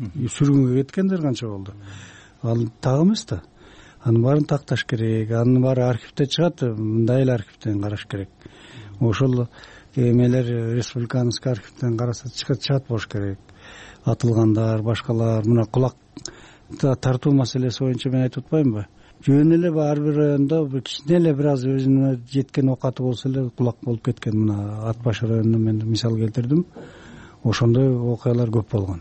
Speaker 1: Сүргүнгө кеткендер канча болду? Ал так эмес да. Анын баарын такташ керек. Анын баары архивде чыгат, мындай эле архивден караш керек. Ошол эмелер республиканский архивден караса чыгат болуш керек. Атылгандар, башкалар, мына кулак тартуу маселеси боюнча мен айтып атпаймынбы? Жөн эле ар бир райондо кичине эле бир аз өзүнө жеткен окаты болсо эле кулак болуп кеткен. Мына Ат баш районунан мен мисал келтирдим. Ошондой окуялар көп болгон.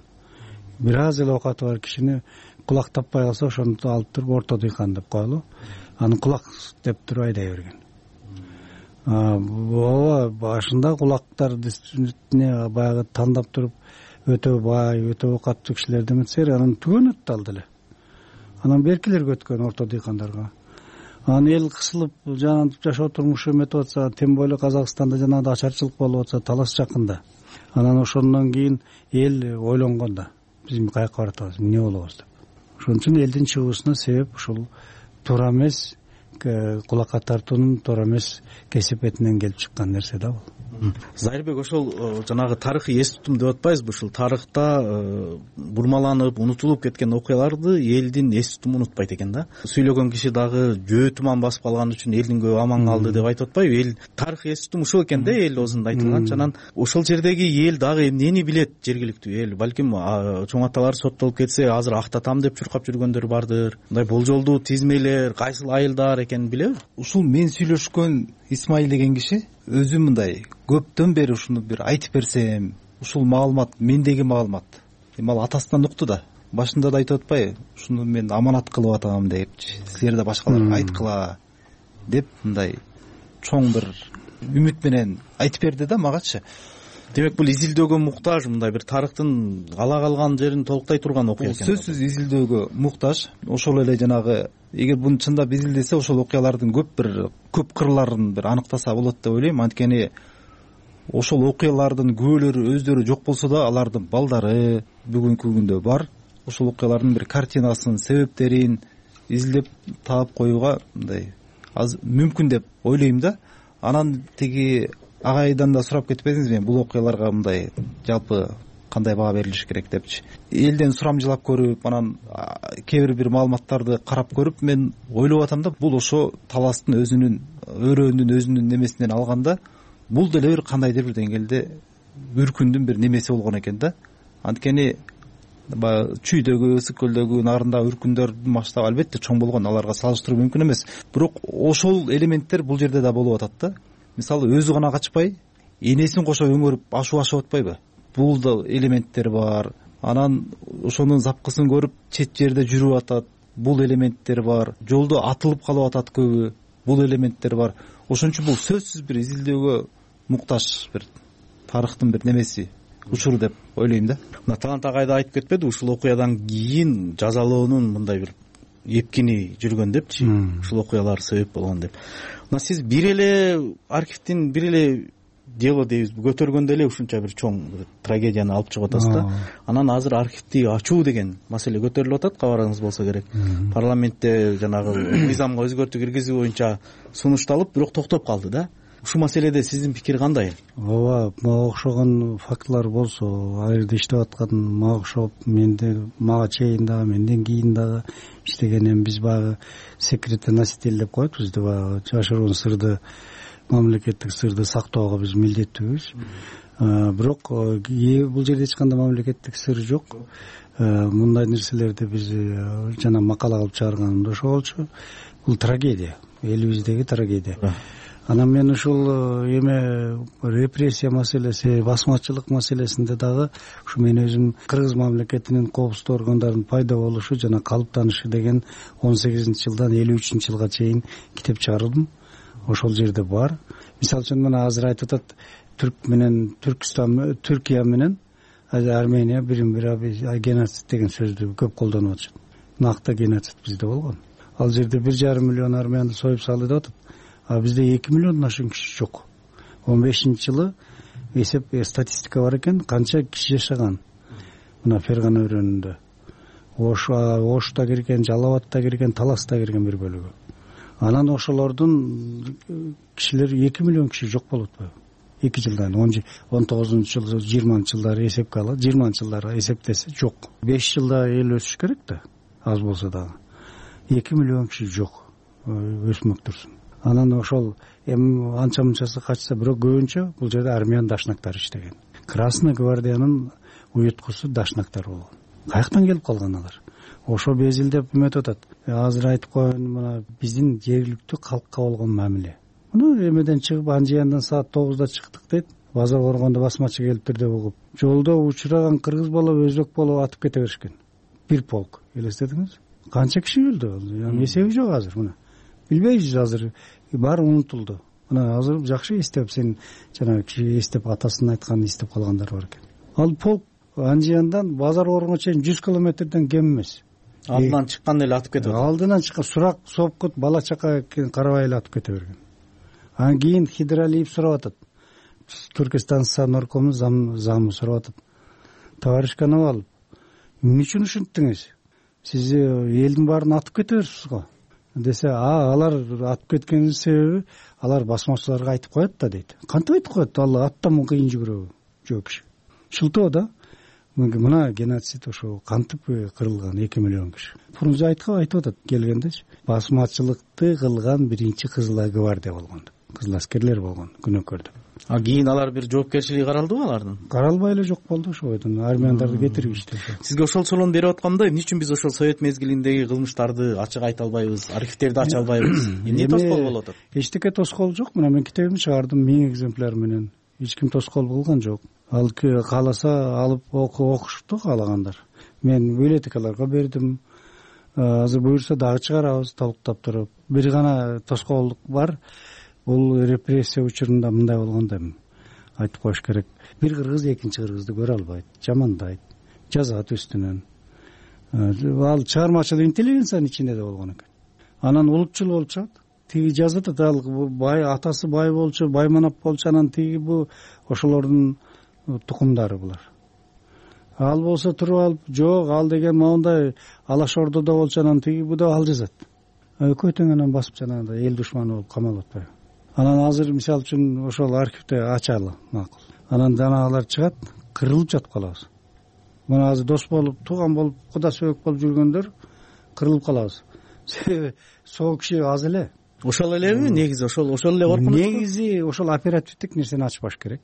Speaker 1: Бир аз эле окаты бар кишини кулак таппай калса ошону алып туруп орто дыйкан деп коелу. Аны кулак деп туруп айдай берген. Ооба, башында кулактар действительно баягы тандап туруп өтө бай, өтө окаттуу кишилер деметсер, анан түгөнөт ал деле. Анан беркилерге өткөн орто дыйкандарга. Анан эл кысылып жанагынтип жашоо турмушу эметип атса, тем более Казакстанда жанагындай ачарчылык болуп атса, талаш жакында. Анан ошондон кийин эл ойлонгон да, биз каяка баратабыз, эмне болобуз деп. Ошон үчүн элдин чыгуусуна себеп ушул туура эмес, кулакка тартуунун туура эмес кесепетинен келип чыккан нерсе да бул.
Speaker 24: Зайырбек, ошол жанагы тарыхый эс тутум деп атпайбызбы? Ушул тарыхта бурмаланып, унутулуп кеткен окуяларды элдин эс тутуму унутпайт экен да. Сүйлөгөн киши дагы жөө туман басып калган үчүн элдин көбү аман калды деп айтып атпайбы? Эл тарыхый эс тутум ушул экен да, эл оозунда айтылганча. Анан ошол жердеги эл дагы эмнени билет? Жергиликтүү эл балким чоң аталар соттолуп кетсе, азыр актатам деп чуркап жүргөндөр бардыр. Мындай болжолдуу тизмелер, кайсыл айылдар экенин билеби?
Speaker 3: Ушул мен сүйлөшкөн Исмаил деген киши өзү мындай көптөн бери ушуну бир айтып берсем, ушул маалымат мендеги маалымат. Эми ал атасынан укту да. Башында да айтып атпайбы? Ушуну мен аманат кылып атам депчи. Силер да башкаларга айткыла деп мындай чоң бир үмүт менен айтып берди да магачы.
Speaker 24: Демек бул изилдөөгө муктаж, мындай бир тарыхтын ала калган жерин толуктай турган окуя экен.
Speaker 3: Сөзсүз изилдөөгө муктаж. Ошол эле жанагы эгер буну чындап изилдесе, ошол окуялардын көп кырларын бир аныктаса болот деп ойлойм. Анткени ошол окуялардын күбөлөрү өздөрү жок болсо да, алардын балдары бүгүнкү күндө бар. Ошол окуялардын бир картинасын, себептерин изилдеп таап коюуга мындай аз мүмкүн деп ойлойм да. Анан тиги агайдан да сурап кетпедиңизби, бул окуяларга мындай жалпы кандай баа берилиш керек депчи. Элден сурамжылап көрүп, анан кээ бир маалыматтарды карап көрүп, мен ойлоп атам да, бул ошо таластын өзүнүн өрөөнүн өзүнүн немесинен алганда, бул деле бир кандайдыр бир деңгээлде үркүндүн бир немеси болгон экен да. Анткени баягы Чүйдөгү, Ысык-Көлдөгү нарында үркүндөрдүн масштабы албетте чоң болгон, аларга салыштыруу мүмкүн эмес. Бирок ошол элементтер бул жерде да болуп атат да. Мисалы өзү гана качпай, энесин кошо өңөрүп ашып атпайбы? Бул да элементтер бар. Анан ошонун запкысын көрүп чет жерде жүрүп атат. Бул элементтер бар. Жолдо атылып калып атат көбү. Бул элементтер бар. Ошон үчүн бул сөзсүз бир изилдөөгө муктаж бир тарыхтын бир немеси, учуру деп ойлойм да.
Speaker 24: Мына Талант агай да айтып кетпеди, ушул окуядан кийин жазалоонун мындай бир эпкини жүргөн депчи, ушул окуялар себеп болгон деп. Мына сиз бир эле архивдин бир эле дело дейбизби, көтөргөндө эле ушунча бир чоң трагедияны алып чыгып атасыз да. Анан азыр архивди ачуу деген маселе көтөрүлүп атат, кабарыңыз болсо керек. Парламентте жанагы мыйзамга өзгөртүү киргизүү боюнча сунушталып, бирок токтоп калды да. Ушул маселеде сиздин пикир кандай?
Speaker 1: Ооба, мага окшогон фактылар болсо, ал жерде иштеп аткан мага окшоп, мага чейин дагы, менден кийин дагы иштегенем. Биз баягы секретный носитель деп коет бизди, баягы жашыруун сырды, мамлекеттик сырды сактоого биз милдеттүүбүз. Бирок бул жерде эч кандай мамлекеттик сыр жок. Мындай нерселерди биз жана макала кылып чыгарганымда ошо болчу. Бул трагедия, элибиздеги трагедия. Анан мен ушул репрессия маселеси, басмачылык маселесинде дагы ушу мен өзүм кыргыз мамлекетинин коопсуздук органдарынын пайда болушу жана калыптанышы деген 18-жылдан 53-жылга чейин китеп чыгардым. Ошол жерде бар. Мисалы үчүн мына азыр айтып атат, Түрк менен Түркстан, Түркия менен Армения бирин-бири геноцид деген сөздү көп колдонуп атышат. Накта геноцид бизде болгон. Ал жерде 1,5 миллион армянды союп салды деп атат. А бизде 2 миллиондон ашык киши жок. 15-жылы эсеп статистика бар экен, канча киши жашаган. Мына Фергана өрөөнүндө. Ошта кирген, Жалал абадта кирген, Таласта кирген бир бөлүгү. Анан ошолордун кишилер 2 миллион киши жок болуп атпайбы? 2 жылдан 19-жыл 20-жылдары эсепке алат, 20-жылдары эсептесе жок. 5 жылда эл өсүш керек да, аз болсо дагы. 2 миллион киши жок, өсмөк турсун. Анан ошол эми анча мынчасы качса, бирок көбүнчө бул жерде армян дашнактары иштеген. Красный гвардиянын уюткусу дашнактар болгон. Каяктан келип калган алар? Ошо безилдеп эметип атат. Азыр айтып коеюн, мына биздин жергиликтүү калкка болгон мамиле. Муну эмеден чыгып, Анжияндан саат 9-да чыктык дейт. Базар коргондо басмачы келиптир деп угуп, жолдо учураган кыргыз болуп, өзбек болуп атып кете беришкен. Бир полк, элестетиңиз? Канча киши өлдү? Эсеби жок азыр мына. Билбейбиз азыр, баары унутулду. Мына азыр жакшы эстеп, сен жанагы киши эстеп, атасынын айтканын эстеп калгандар бар экен. Ал полк Анжияндан базар коргонго чейин 100 километрден кем эмес.
Speaker 24: Алдынан чыкканда эле атып кетип атат.
Speaker 1: Алдынан чыккан сурак, сопкут, бала чака карабай эле атып кете берген. Анан кийин Хидралиев сурап атат. Түркистан наркому замы сурап атат. Товарищ Коновалов, эмне үчүн ушинттиңиз? Сиз элдин баарын атып кете берипсиз го десе, алар атып кеткенин себеби алар басмачыларга айтып коет да дейт. Кантип айтып коет? Ал аттан кыйын жүгүрөбү? Жок киши. Шылтоо да. Мына геноцид ошо кантип кырылган 2 миллион киши. Фрунзе айтып атат келгендечи. Басмачылыкты кылган биринчи Кызыл гвардия болгон деп. Кызыл аскерлер болгон, күнөөкөр деп.
Speaker 24: Кийин алар бир жоопкерчилиги каралдыбы алардын?
Speaker 1: Каралбай эле жок болду ошойдон. Армяндарды кетиришти.
Speaker 24: Сизге ошол суроonu берип атканда, эмне үчүн биз ошол совет мезгилиндеги кылмыштарды ачык айта албайбыз, архивтерди ача албайбыз? Эмне тоскоол болуп атат?
Speaker 1: Эчтеке тоскоол жок. Мына мен китебимди чыгардым 1000 экземпляр менен. Эч ким тоскоол кылган жок. Ал кааласа алып окушту каалагандар. Мен библиотекаларга бердим. Азыр буюрса дагы чыгарабыз толуктап туруп. Бир гана тоскоолдук бар. Бул репрессия учурунда мындай болгондо айтып коюш керек. Бир кыргыз экинчи кыргызды көрө албайт, жамандайт, жазат үстүнөн. Ал чыгармачылык интеллигенциянын ичинде да болгон экен. Анан улутчул болуп чыгат. Тиги жазат, ал бай, атасы бай болчу, байманап болчу, анан тиги бу ошолордун тукумдары булар. Ал болсо туруп алып, жок, ал деген моундай Алаш Ордодо болчу, анан тиги бу да ал жазат. Экөө тең анан басып жанагындай эл душманы болуп камалып атпайбы? Анан азыр мисалы үчүн ошол архивде ачалы макул. Анан жанагылар чыгат, кырылып жатып калабыз. Мына азыр дос болуп, тууган болуп, куда сөбөк болуп жүргөндөр кырылып калабыз. Себеби сол киши аз эле.
Speaker 24: Ошол элеби негизи? Ошол эле коркунуч.
Speaker 1: Негизи ошол оперативдик нерсени ачпаш керек.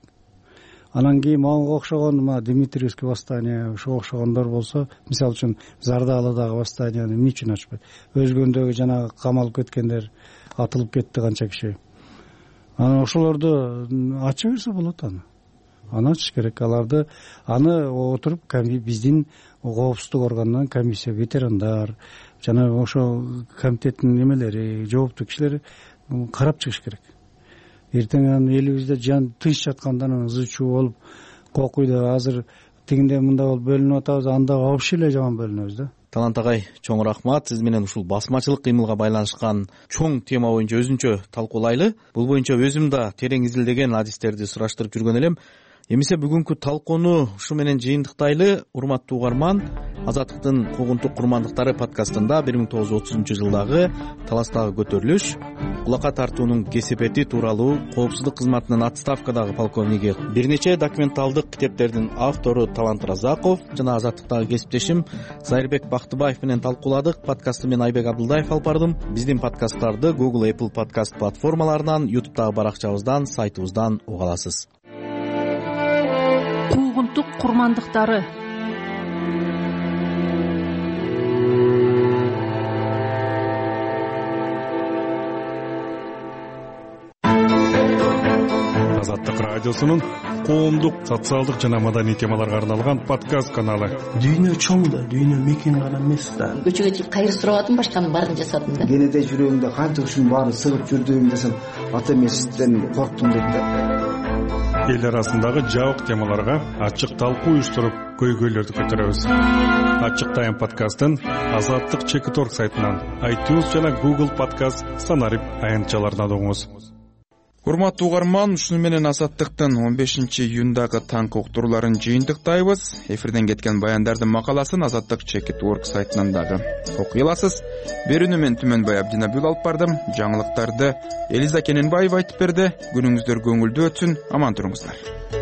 Speaker 1: Анан кийин мага окшогон Дмитриевский восстание, ошого окшогондор болсо, мисалы үчүн Зардалыдагы восстанияны эмне үчүн ачпайт? Өзгөндөгү жанагы камалып кеткендер, атылып кетти канча киши. Анан ошолорду ача берсе болот аны. Аны ачыш керек. Аларды отуруп биздин коопсуздук органынан комиссия, ветерандар, жана ошо комитеттин немелери, жооптуу кишилер карап чыгыш керек. Эртең элибизде жан тынч жаткандан ызы чуу болуп, кокуйда азыр тигинде мындай болуп бөлүнүп атабыз, анда вообще эле жаман бөлүнөбүз да.
Speaker 24: Талант агай, чоң рахмат. Сиз менен ушул басмачылык кыймылга байланышкан чоң тема боюнча өзүнчө талкуулайлы. Бул боюнча өзүм да терең изилдеген адистерди сураштырып жүргөн элем. Эмесе бүгүнкү талкууну ушу менен жыйынтыктайлы. Урматтуу угарман, Азаттыктын куугунтук курмандыктары подкастында 1930-жылдагы Таластагы көтөрүлүш, кулакка тартуунун кесепети тууралуу коопсуздук кызматынын отставкадагы полковниги, бир нече документалдык китептердин автору Талант Разаков жана Азаттыктагы кесиптешим Зайырбек Бактыбаев менен талкууладык. Подкастты мен Айбек Абдылдаев алып бардым. Биздин подкасттарды Google, Apple подкаст платформаларынан, YouTube'дагы баракчабыздан, сайтыбыздан уга аласыз.
Speaker 23: Куугунтук курмандыктары.
Speaker 6: Азаттык радиосунун коомдук, социалдык жана маданий темаларга арналган подкаст каналы.
Speaker 7: Дүйнө чоң да, дүйнө мекен гана эмес да.
Speaker 8: Көчөгө чыгып кайыр сурап атам, башканын баарын жасадым да.
Speaker 9: Кенете жүрөгүмдө канча ушунун баарын сыгып жүрдүм десем, ата эмесизден корктум дейт да.
Speaker 6: Эл арасындагы жабык темаларга ачык талкуу уюштуруп, көйгөйлөрдү көтөрөбүз. Ачык тайм подкастын Азаттык Чекиторг сайтынан, iTunes жана Google подкаст санарип аянтчаларынан угуңуз.
Speaker 2: урматтуу угарман, ушуну менен Азаттыктын 15 июндагы таңкы уктурууларын жыйынтыктайбыз. Эфирден кеткен баяндардын макаласын Азаттык Чекит.org сайтынан дагы окуй аласыз. Берүүнү мен Түмөнбай Абдинабил алып бардым. Жаңылыктарды Элиза Кененбаева айтып берди. Күнүңүздөр көңүлдүү өтсүн, аман туруңуздар.